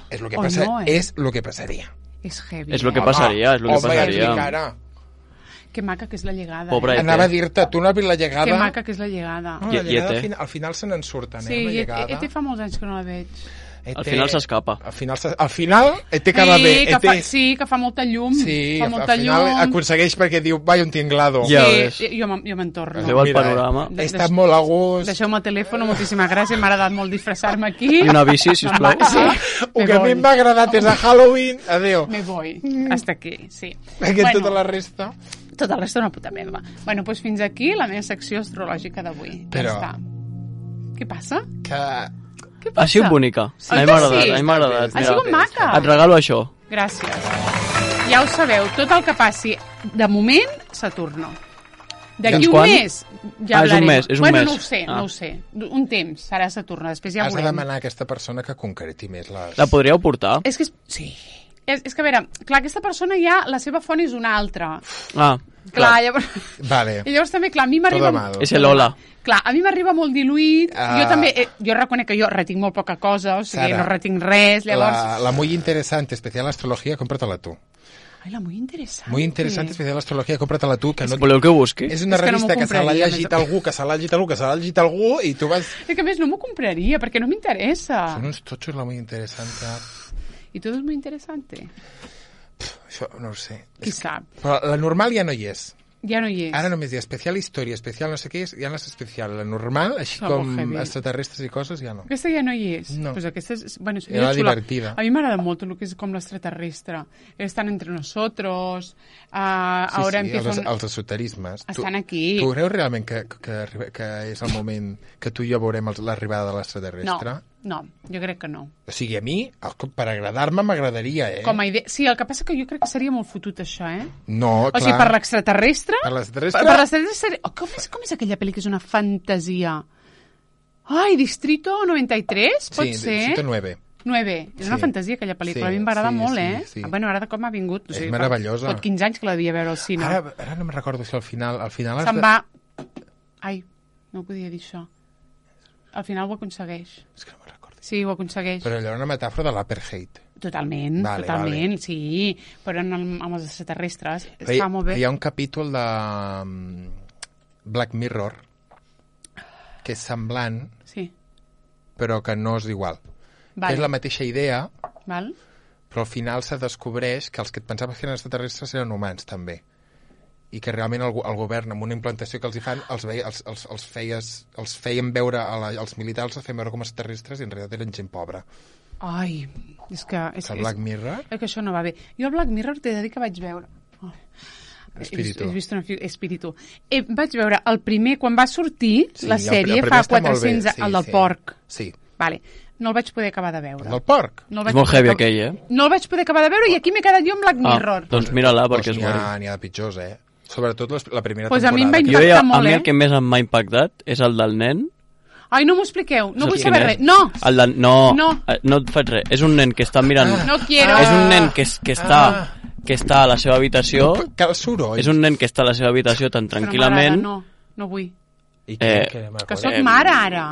És el que, O passa, no, eh? és lo que passaria. És heavy. És lo que eh? passaria, és lo que home, passaria. ja et dic ara. Que maca que és la llegada. Pobra Eh? Ete. Anava a dir-te, tu no has vist la llegada? Que maca que és la llegada. No, la I- llegada i al, Ete? final, al final se n'en surten, Sí, eh, amb la i llegada. Ete fa molts anys que no la veig. Ete- Al final s'escapa. Al final, se- al final Ete acaba sí, bé. que Ete, fa, sí, que fa molta llum. sí, fa al molta final llum. aconsegueix perquè diu, vai un tinglado. Ja sí, ves. jo, me'n- jo me'n torno. Veu el Mira, panorama. He estat molt a gust. Deixeu-me el telèfon, moltíssimes gràcies, m'ha agradat molt disfressar-me aquí. I una bici, sisplau. Sí, El me que a mi voy. em va agradar és a Halloween, adéu. Me voy, hasta aquí, sí. Perquè bueno, tota la resta... Tot el resto una puta merda. Bueno, doncs fins aquí la meva secció astrològica d'avui. Però- Ja està. Què passa? Que... Què passa? Ha sigut bonica. Oi A mi que m'ha agradat, sí? a mi m'ha agradat. Ha mira. sigut maca. Et regalo això. Gràcies. Ja ho sabeu, tot el que passi de moment, Saturno. D'aquí Fins un quan? mes ja Ah, és un hablarem. mes, és un bueno, mes. no ho sé, Ah. no ho sé. Un temps serà Saturno, després ja Has de veurem. demanar a aquesta persona que concreti més les... La podríeu portar? És que és... Sí. És, és que, a veure, clar, aquesta persona ja, la seva font és una altra. Ah, Clar, clar. llavors... Vale. I llavors també, clar, a mi m'arriba... Todo mal. És el hola. Clar, a mi m'arriba molt diluït. Ah. Jo també, eh, jo reconec que jo retinc molt poca cosa, o sigui, Sara, no retinc res, llavors... La, la muy interesante especial astrología, cómpratela tú. Ai, la muy interessant. Muy interesante especial astrología, cómpratela tú. Que no... Voleu que ho busqui? És una És que no m'ho revista que, se l'ha compraria, llegit més o- algú, que se l'ha llegit algú, que se l'ha llegit algú, i tu vas... És que a més no m'ho compraria, perquè no m'interessa. Són uns totxos la muy interesante. I tot és molt interessant. Això no ho sé. Qui sap? Però la normal ja no hi és. Ja no hi és. Ara només hi ha especial història, especial no sé què és, ja no és especial. La normal, així Som com heavy. extraterrestres i coses, ja no. Aquesta ja no hi és. No. Pues aquesta és, bueno, és Era la xula. divertida. A mi m'agrada molt el que és com l'extraterrestre. Estan entre nosotros, uh, Sí, ahora sí, empieza els, un... els esoterismes. Estan tu, aquí. Tu creus realment que, que, que, que és el moment que tu i jo veurem els- l'arribada de No, l'extraterrestre? no, jo crec que no. O sigui, a mi, el- per agradar-me, m'agradaria, eh? Com a idea... Sí, el que passa que jo crec que seria molt fotut, això, eh? No, O clar. sigui, per l'extraterrestre... Per l'extraterrestre... Per, per l'extraterrestre seria... Oh, com, és, com és aquella pel·li que és una fantasia? Ai, Distrito noventa y tres, pot sí, ser? Distrito nueve. nueve. És una Sí. fantasia, aquella pel·lícula. Sí, a mi m'agrada sí, molt, sí, eh? sí. Bueno, m'agrada com ha vingut. O És sigui, meravellosa. Fa, pot quinze anys que la devia veure al cine. Ara, ara no me'n recordo si al final... Al final has Se'n de... va... Ai, no podia dir això. Al final ho aconsegueix. És que no me'n recordo. Sí, ho aconsegueix. Però allò era una metàfora de l'apartheid. Totalment, Vale, totalment, sí. Però en el, amb els extraterrestres Hi, està molt bé. hi ha un capítol de mm, Black Mirror que és semblant, Sí, però que no és igual. Que vale. és la mateixa idea, Val? però al final se descobreix que els que et pensaves que eren extraterrestres eren humans, també. I que realment el, go- el govern, amb una implantació que els hi fan, els, veia, els, els, els, feies, els feien veure, a la, als militars els feien veure com a extraterrestres i en realitat eren gent pobra. Ai, és que... És, Que el Black Mirror... És que això no va bé. Jo el Black Mirror t'he de dir que vaig veure... Oh. Espíritu. He, he vist una fi... Espíritu. Eh, vaig veure el primer, quan va sortir Sí, la el- sèrie, el primer fa està molt bé, quatre-cents... sí, el del sí. porc. Sí. Vale. No el vaig poder acabar de veure. El del porc? No el És vaig molt poder heavy acabar- aquell, eh? No el vaig poder acabar de veure i aquí m'he quedat jo amb Black Mirror. Ah, doncs mira-la, Doncs perquè és n'hi ha, bona. n'hi ha de pitjors, eh? Sobretot les, la primera Pues a mi em temporada. va Jo ja, a molt, mi eh? el que més m'ha impactat és el del nen. Ai, no m'ho expliqueu. No vull Saps saber quin res. és? No! El del... No, No. eh, no et faig res. És un nen que està mirant... No quiero. És un nen que, es- que, està, que està a la seva habitació. Que el soroll. És un nen que està a la seva habitació tan Però tranquil·lament. m'agrada, No, no vull. I què, Eh, què, Que eh, sóc mare, ara.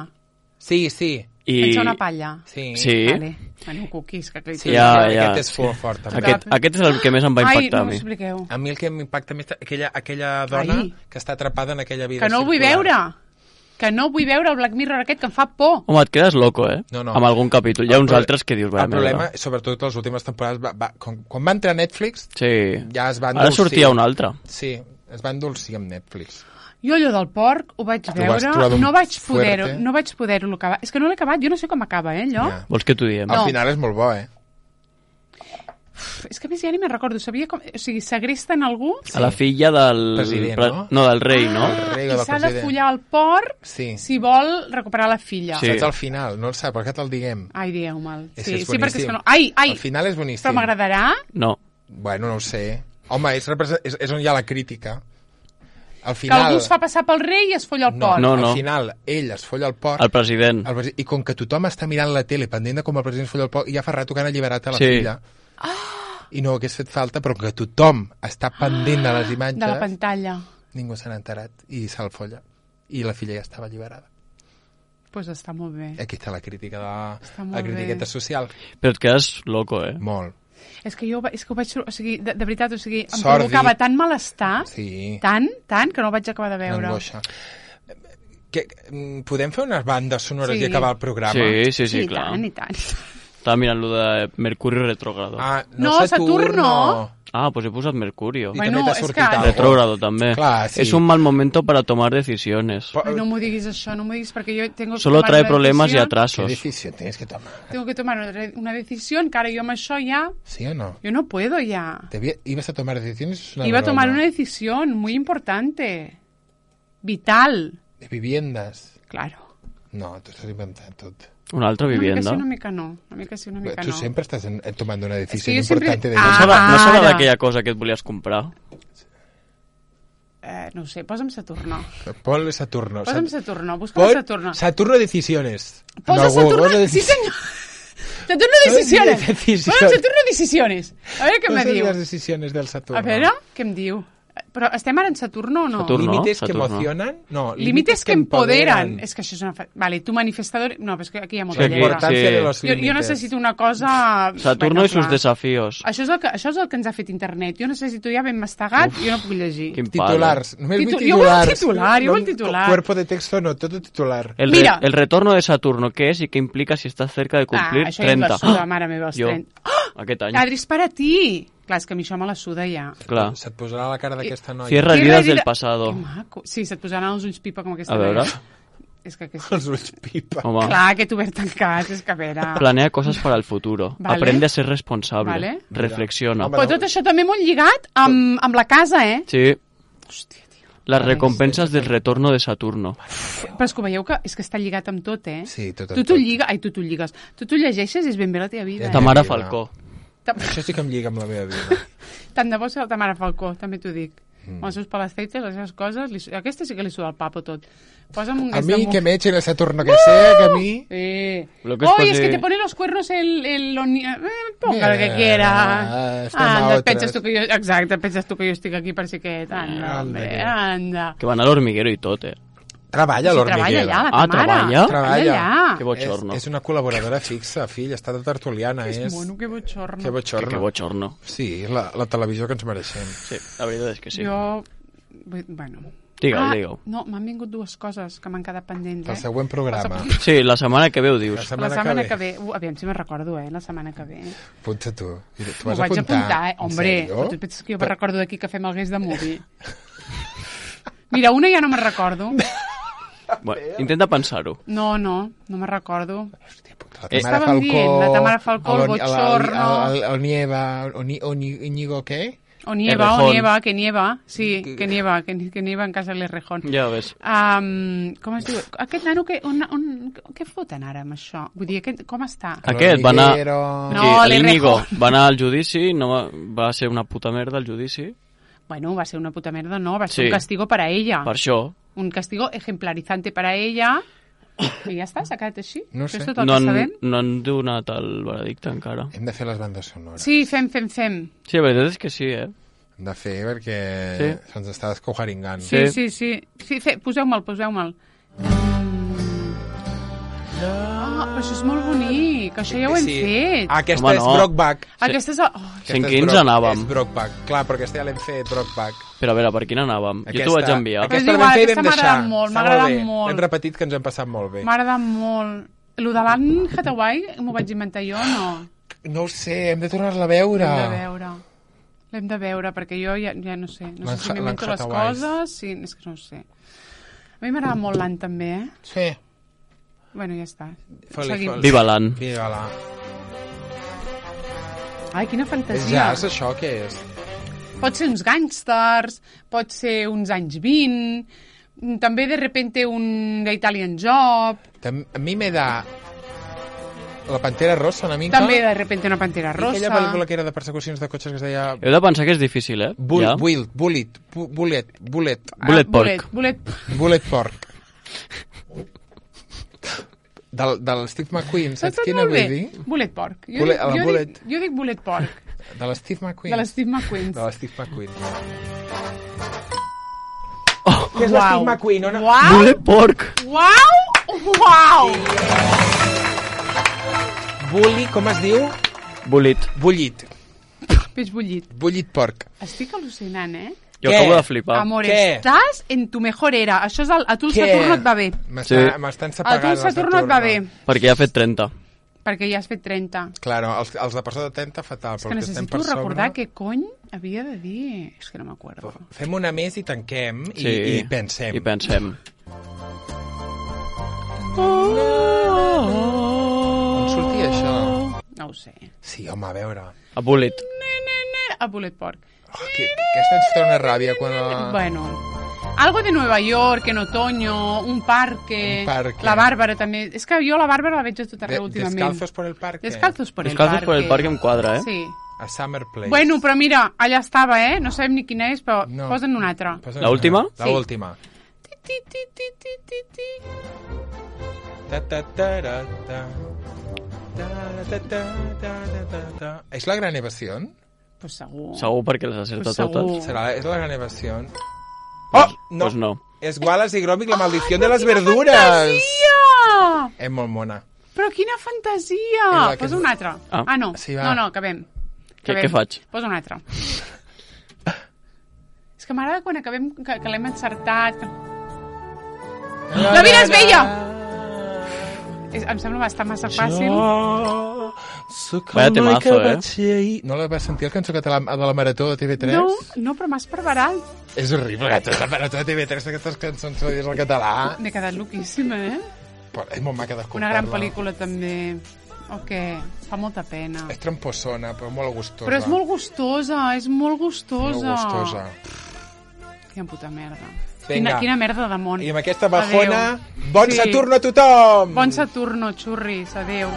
Sí, sí. I... Pensa una palla. Sí. Sí. Vale. Bueno, cookies, que Sí, Ja, aquest, ja. aquest és fort, fort també. Aquest, aquest és el que més em va Ai, impactar no a m'ho mi. expliqueu. A mi el que m'impacta més aquella, aquella dona Ai. que està atrapada en aquella vida Que no el vull circular. veure. Que no vull veure el Black Mirror aquest, que em fa por. Home, et quedes loco, eh? No, no. Amb algun capítol. Hi ha El uns pro- altres que dius... El "Va, problema, merda". sobretot les últimes temporades, va, va, quan, quan va entrar a Netflix, Sí. ja es va Ara endolcir. sortia un altre. Sí, es va endolcir amb Netflix. Jo allò del porc ho vaig vas veure, trobar d'un no vaig poder-ho fuerte. no vaig poder-ho acabar. És que no l'he acabat, jo no sé com acaba, eh, allò. Ja. Vols que t'ho diem? Al No. final és molt bo, eh? Uf, és que a més ja ni me'n recordo, sabia com... O sigui, segresten algú A la filla del... President, pre- no? No, del rei, no? El rei o i del s'ha de president. follar el porc Sí. si vol recuperar la filla. Sí. Saps al final, no el sap, per què te'l diguem? Ai, dieu mal. És Sí, que és sí, perquè és boníssim. que no... Ai, ai! Al final és boníssim. Però m'agradarà? No. Bueno, no ho sé. Home, és, represent... és, és on hi ha la crítica. Al Que final... algú es fa passar pel rei i es folla el No, porc. no, no. al final ell es folla el porc, El president. el presi- i com que tothom està mirant la tele pendent de com el president es folla el porc, i ja fa rato que han alliberat a la Sí. filla. I no hagués fet falta, però que tothom està pendent de les imatges, De la pantalla. ningú se n'ha enterat i se'l folla. I la filla ja estava alliberada. Doncs pues està molt bé. Aquí està la crítica de la, Està molt la critiqueta bé. social. Però et quedes loco, eh? Molt. És que jo va- és que ho vaig... O sigui, de, de veritat, o sigui, em Sòrdid. provocava tant malestar, Sí. tant, tant, que no ho vaig acabar de veure. Angoixa. Que, mm, podem fer unes bandes sonores Sí. i acabar el programa? Sí, sí, sí, i clar. tant, i tant. Estava mirant lo de Mercuri retrogrado. Ah, Ah, no, No, Saturno. Saturno. ah pues he posat Mercurio. I Bueno, també t'ha és sortit que- algo. Retrógrado també. Clar, sí. Es un mal momento para tomar decisiones. Po- Ai, no m'ho diguis això, no m'ho diguis, perquè jo tengo que Solo tomar trae una problemas y decisión. ¿Qué atrasos. decisión tienes que tomar? Tengo que tomar una- una decisión, que ara jo amb això ja... ¿Sí o no? Yo no puedo ya. ¿Te vi- ¿Ibas a tomar decisiones? Es una Iba a tomar broma. una decisión muy importante. Vital. De viviendas. Claro. No, t'ho estàs inventant tot. Una altra Una mica vivienda. sí, una mica no. Una mica sí, una mica Tu no. sempre estàs en, en tomando una decisión jo sempre- importante de Ah, No vida. serà, no serà Ara. d'aquella cosa que et volies comprar? Eh, no ho sé, posa'm Saturno. Ponle Saturno. Posa'm Sat- Saturno, busca'm Pon Saturno. Saturno Decisiones. Posa No, Saturno, posa sí deci- senyor. Saturno Decisiones. Decisiones. Posa Saturno Decisiones. A veure què me Posa diu. les decisiones del Saturno. A veure, què em diu? Però estem ara en Saturno o no? Saturno. Límites que Saturno. emocionan? No, Límites que empoderan. És que això és una... Fa... Vale, tu manifestador... No, però és que aquí hi ha molta Sí, aquí- lletra. Importancia sí. de los Jo, límites. jo necessito una cosa... Saturno i sus clar. desafíos. Això és, el que, això és el que ens ha fet internet. Jo necessito ja ben mastegat, jo no puc llegir. Quin palo. Titulars. Només vull Titu- jo vull titulars. titular, jo No- vull titular. Cuerpo de texto no, todo titular. El, Mira. re- el retorno de Saturno, ¿qué es y qué implica si estás cerca de Ah, cumplir això ja em trenta? la suda, mare meva, els Jo. trenta. Ah! aquest any. Adri, és per a ti. Clar, és que a mi això me la suda ja. Clar. Se't posarà la cara d'aquesta noia. Cierra Cierra heridas herida- del pasado. Que maco. Sí, se't posaran els ulls pipa com aquesta A veure. noia. És que aquesta... Els ulls pipa. Home, Clar, que t'ho obert tancats, és que a veure... planea cosas para el futuro. Vale. Aprende a ser responsable. Vale. Reflexiona. Home, Però tot això també molt lligat amb, amb la casa, eh? Sí, Hòstia, tio. las recompensas del retorno de Saturno. Però és que ho veieu que és que està lligat amb tot, eh? Sí, tot amb Tu t'ho tot. lligues... Ai, tu t'ho lligues. Tu t'ho llegeixes i és ben bé la teva vida. Ja Eh? Tamara vida. Falcó. Ta- Això sí que em lliga amb la meva vida. Tant de bo ser la Tamara Falcó, també t'ho dic. Mm. Els seus palasteites, les seves coses... Li... Aquesta sí que li suda el papo tot. Posa'm un A gas mí de que mu- me echen el Saturno que sea, que a mí... Eh. Lo que es Oye, posi- es que te pone los cuernos el... el, el eh, ponga lo que Mira, quiera. estem a Anda, otres. penses tu que jo... Exacte, penses tu que jo estic aquí per si aquest. Anda, Anda, hombre, que- anda. Que van a l'hormiguero i tot, eh? Treballa a Si treballa l'Hormiguero. allà, la Ah, Tamara. treballa? Treballa allà. Que bochorno. És, és una col·laboradora fixa, fill, està de tertuliana. És És, mono, que bochorno. que Que, bochorno. que bochorno. Sí, la, la televisió que ens mereixem. Sí, la veritat és que sí. Jo... vull- Bueno... Digue-ho, ah, digue-ho. No, m'han vingut dues coses que m'han quedat pendents, El eh? següent programa. Sí, la setmana que ve ho dius. La La setmana, setmana que que ve. ve... Uh, aviam si me'n recordo, eh? La setmana que ve. Apunta tu. Tu M'ho vas vaig apuntar? apuntar, eh? En Hombre, sèrio? tu penses que jo me'n recordo d'aquí que fem el guest de movie? Mira, una ja no me'n recordo. Bueno, intenta pensar-ho. No, no, no me'n recordo. La Eh, Tamara estàvem dient, la Tamara Falcó, el el- bochorno. El, el, el, el Nieva, o ni, o ni, Íñigo, què? O nieva, o Errejón. nieva, que nieva. Sí, que nieva, que, que nieva en casa de l'Errejón. Ja ves. Um, com es diu? Aquest nano, que, on, on, què foten ara amb això? Vull dir, aquest, com està? Aquest va anar... L'Hormiguero. No, Aquí, l'Íñigo l'Errejón. va anar al judici, no va, va ser una puta merda el judici. Bueno, va ser una puta merda, no, va ser Sí. un castigo para ella. Per això, Un castigo ejemplarizante para ella. I ja està, s'ha quedat així. No Això sé. és tot el no que han, sabem. no han donat el veredicte encara. Hem de fer les bandes sonores. Sí, fem, fem, fem. Sí, la veritat és que sí, eh? Hem de fer perquè Sí. se'ns està descojaringant. Sí, Sí. sí, sí. sí fe, poseu-me'l, poseu-me'l. Ah, però això és molt bonic. Això ja ho hem Sí. fet. Aquesta Home, és no. Brokeback. Aquesta és... Oh, Aquesta En és quins Brock- anàvem? És Brokeback. Clar, però aquesta ja l'hem fet, Brokeback. Però a veure, per quina anàvem? Aquesta, Jo t'ho vaig enviar. Aquesta- Aquesta És la vam igual, fer i aquesta vam m'ha deixar. agradat molt, Està m'ha agradat bé. molt. Hem repetit que ens hem passat molt bé. m'ha agradat molt. Lo de l'Anne Hathaway m'ho vaig inventar jo, no? No ho sé, hem de tornar-la a veure. L'hem de veure. L'hem de veure, perquè jo ja, ja no sé. No sé si L'Anne m'invento les Hathaway. coses. Sí, és que no ho sé. A mi m'agrada molt l'Anne, també, eh? Sí. Bueno, ja està. Foli, Seguim. foli. Viva l'An. Viva-la. Ai, quina És fantasia. jazz, això, què és? Pot ser uns gàngsters, pot ser uns anys vint, també de repente un Italian Job, Tam- A mi me da la Pantera Rossa una mica. també de repente una Pantera I aquella Rossa. pel·lícula que era de persecucions de cotxes que es deia Heu de pensar que és difícil, eh? Bull, Ja. Bullet, Bullet, Bu- Bullet, Bullet, Bullet Ah, Pork. Bullet, Bullet Pork. Del, del Steve McQueen, saps Saps quina molt vull bé? dir? Bullet Pork. Jo, Bullet- dic, la jo, Bullet. dic, jo dic Bullet Pork, De l'Steve McQueen. de l'Steve McQueen. De l'Steve McQueen. Oh, Què és l'Steve McQueen? On... Uau! Bullet Pork! Uau! Uau! Bully, com es diu? Bullet. Bullit. Peix bullit. Bullit porc. Estic al·lucinant, eh? Jo Què? acabo de flipar. Amor, Què? estàs en tu mejor era. Això és el... A tu el Saturno et va bé. M'està- Sí. M'estan A sepagant. tu el Saturno et va bé. Perquè ja ha fet trenta. Perquè ja has fet trenta. Claro, els, els de per sota de trenta, fatal. És però que els que estem necessito per sobre... recordar què cony havia de dir. És que no m'acuerdo. Fem una més i tanquem i, Sí. i pensem. I pensem. On sortia això? No ho sé. Sí, home, a veure. A Bullet. A Bullet Pork. Oh, que, que aquesta ens fa una ràbia quan... La... Bueno, algo de Nueva York, en otoño, un parque, Un parque. la Bàrbara també. És que jo la Bàrbara la veig a tot De, arreu últimament. descalzos por el parque. Descalzos por el Descalzos parque. por el parque em quadra, eh? Sí. A Summer Place. Bueno, però mira, allà estava, eh? No sabem ni quina és, però No. posa'n una altra. Posa'n La última? La Sí. última. Ti, ti, ti, ti, ti, ti, ti. Ta, ta, ta, ra, ta. Ta, ra, ta, ta, ta, ta, ta, ta. És la gran evasió? Pues segur. Segur perquè les acerta Pues segur. totes. Serà, és la gran evasió? Oh, no. Pues no. És Wallace i Gromit, la maldició de les verdures. Fantasia! És molt mona. Però quina fantasia! És la que- Posa una altra. Ah. Ah, no. Sí, va. no, no, acabem. Què, acabem. què faig? Posa una altra. És que m'agrada quan acabem, que, que l'hem encertat. Que... La vida és bella! És, em sembla bastant massa fàcil. Jo Soc Vaya el noi temazo, que eh? vaig ser ahir. No la vas sentir, el cançó català de la Marató de T V tres? No, no, però m'has preparat. És horrible, que la Marató de T V tres, aquestes cançons que dius al català. M'he quedat loquíssima, eh? Però és molt maca d'escoltar-la. Una gran pel·lícula, també. O què? Fa molta pena. És tramposona, però molt gustosa. Però és molt gustosa, és molt gustosa. Molt gustosa. Quina puta merda. Vinga. Quina, quina merda de món. I amb aquesta bajona, Adéu. bon Sí. Saturno a tothom! Bon Saturno, xurris, adeu.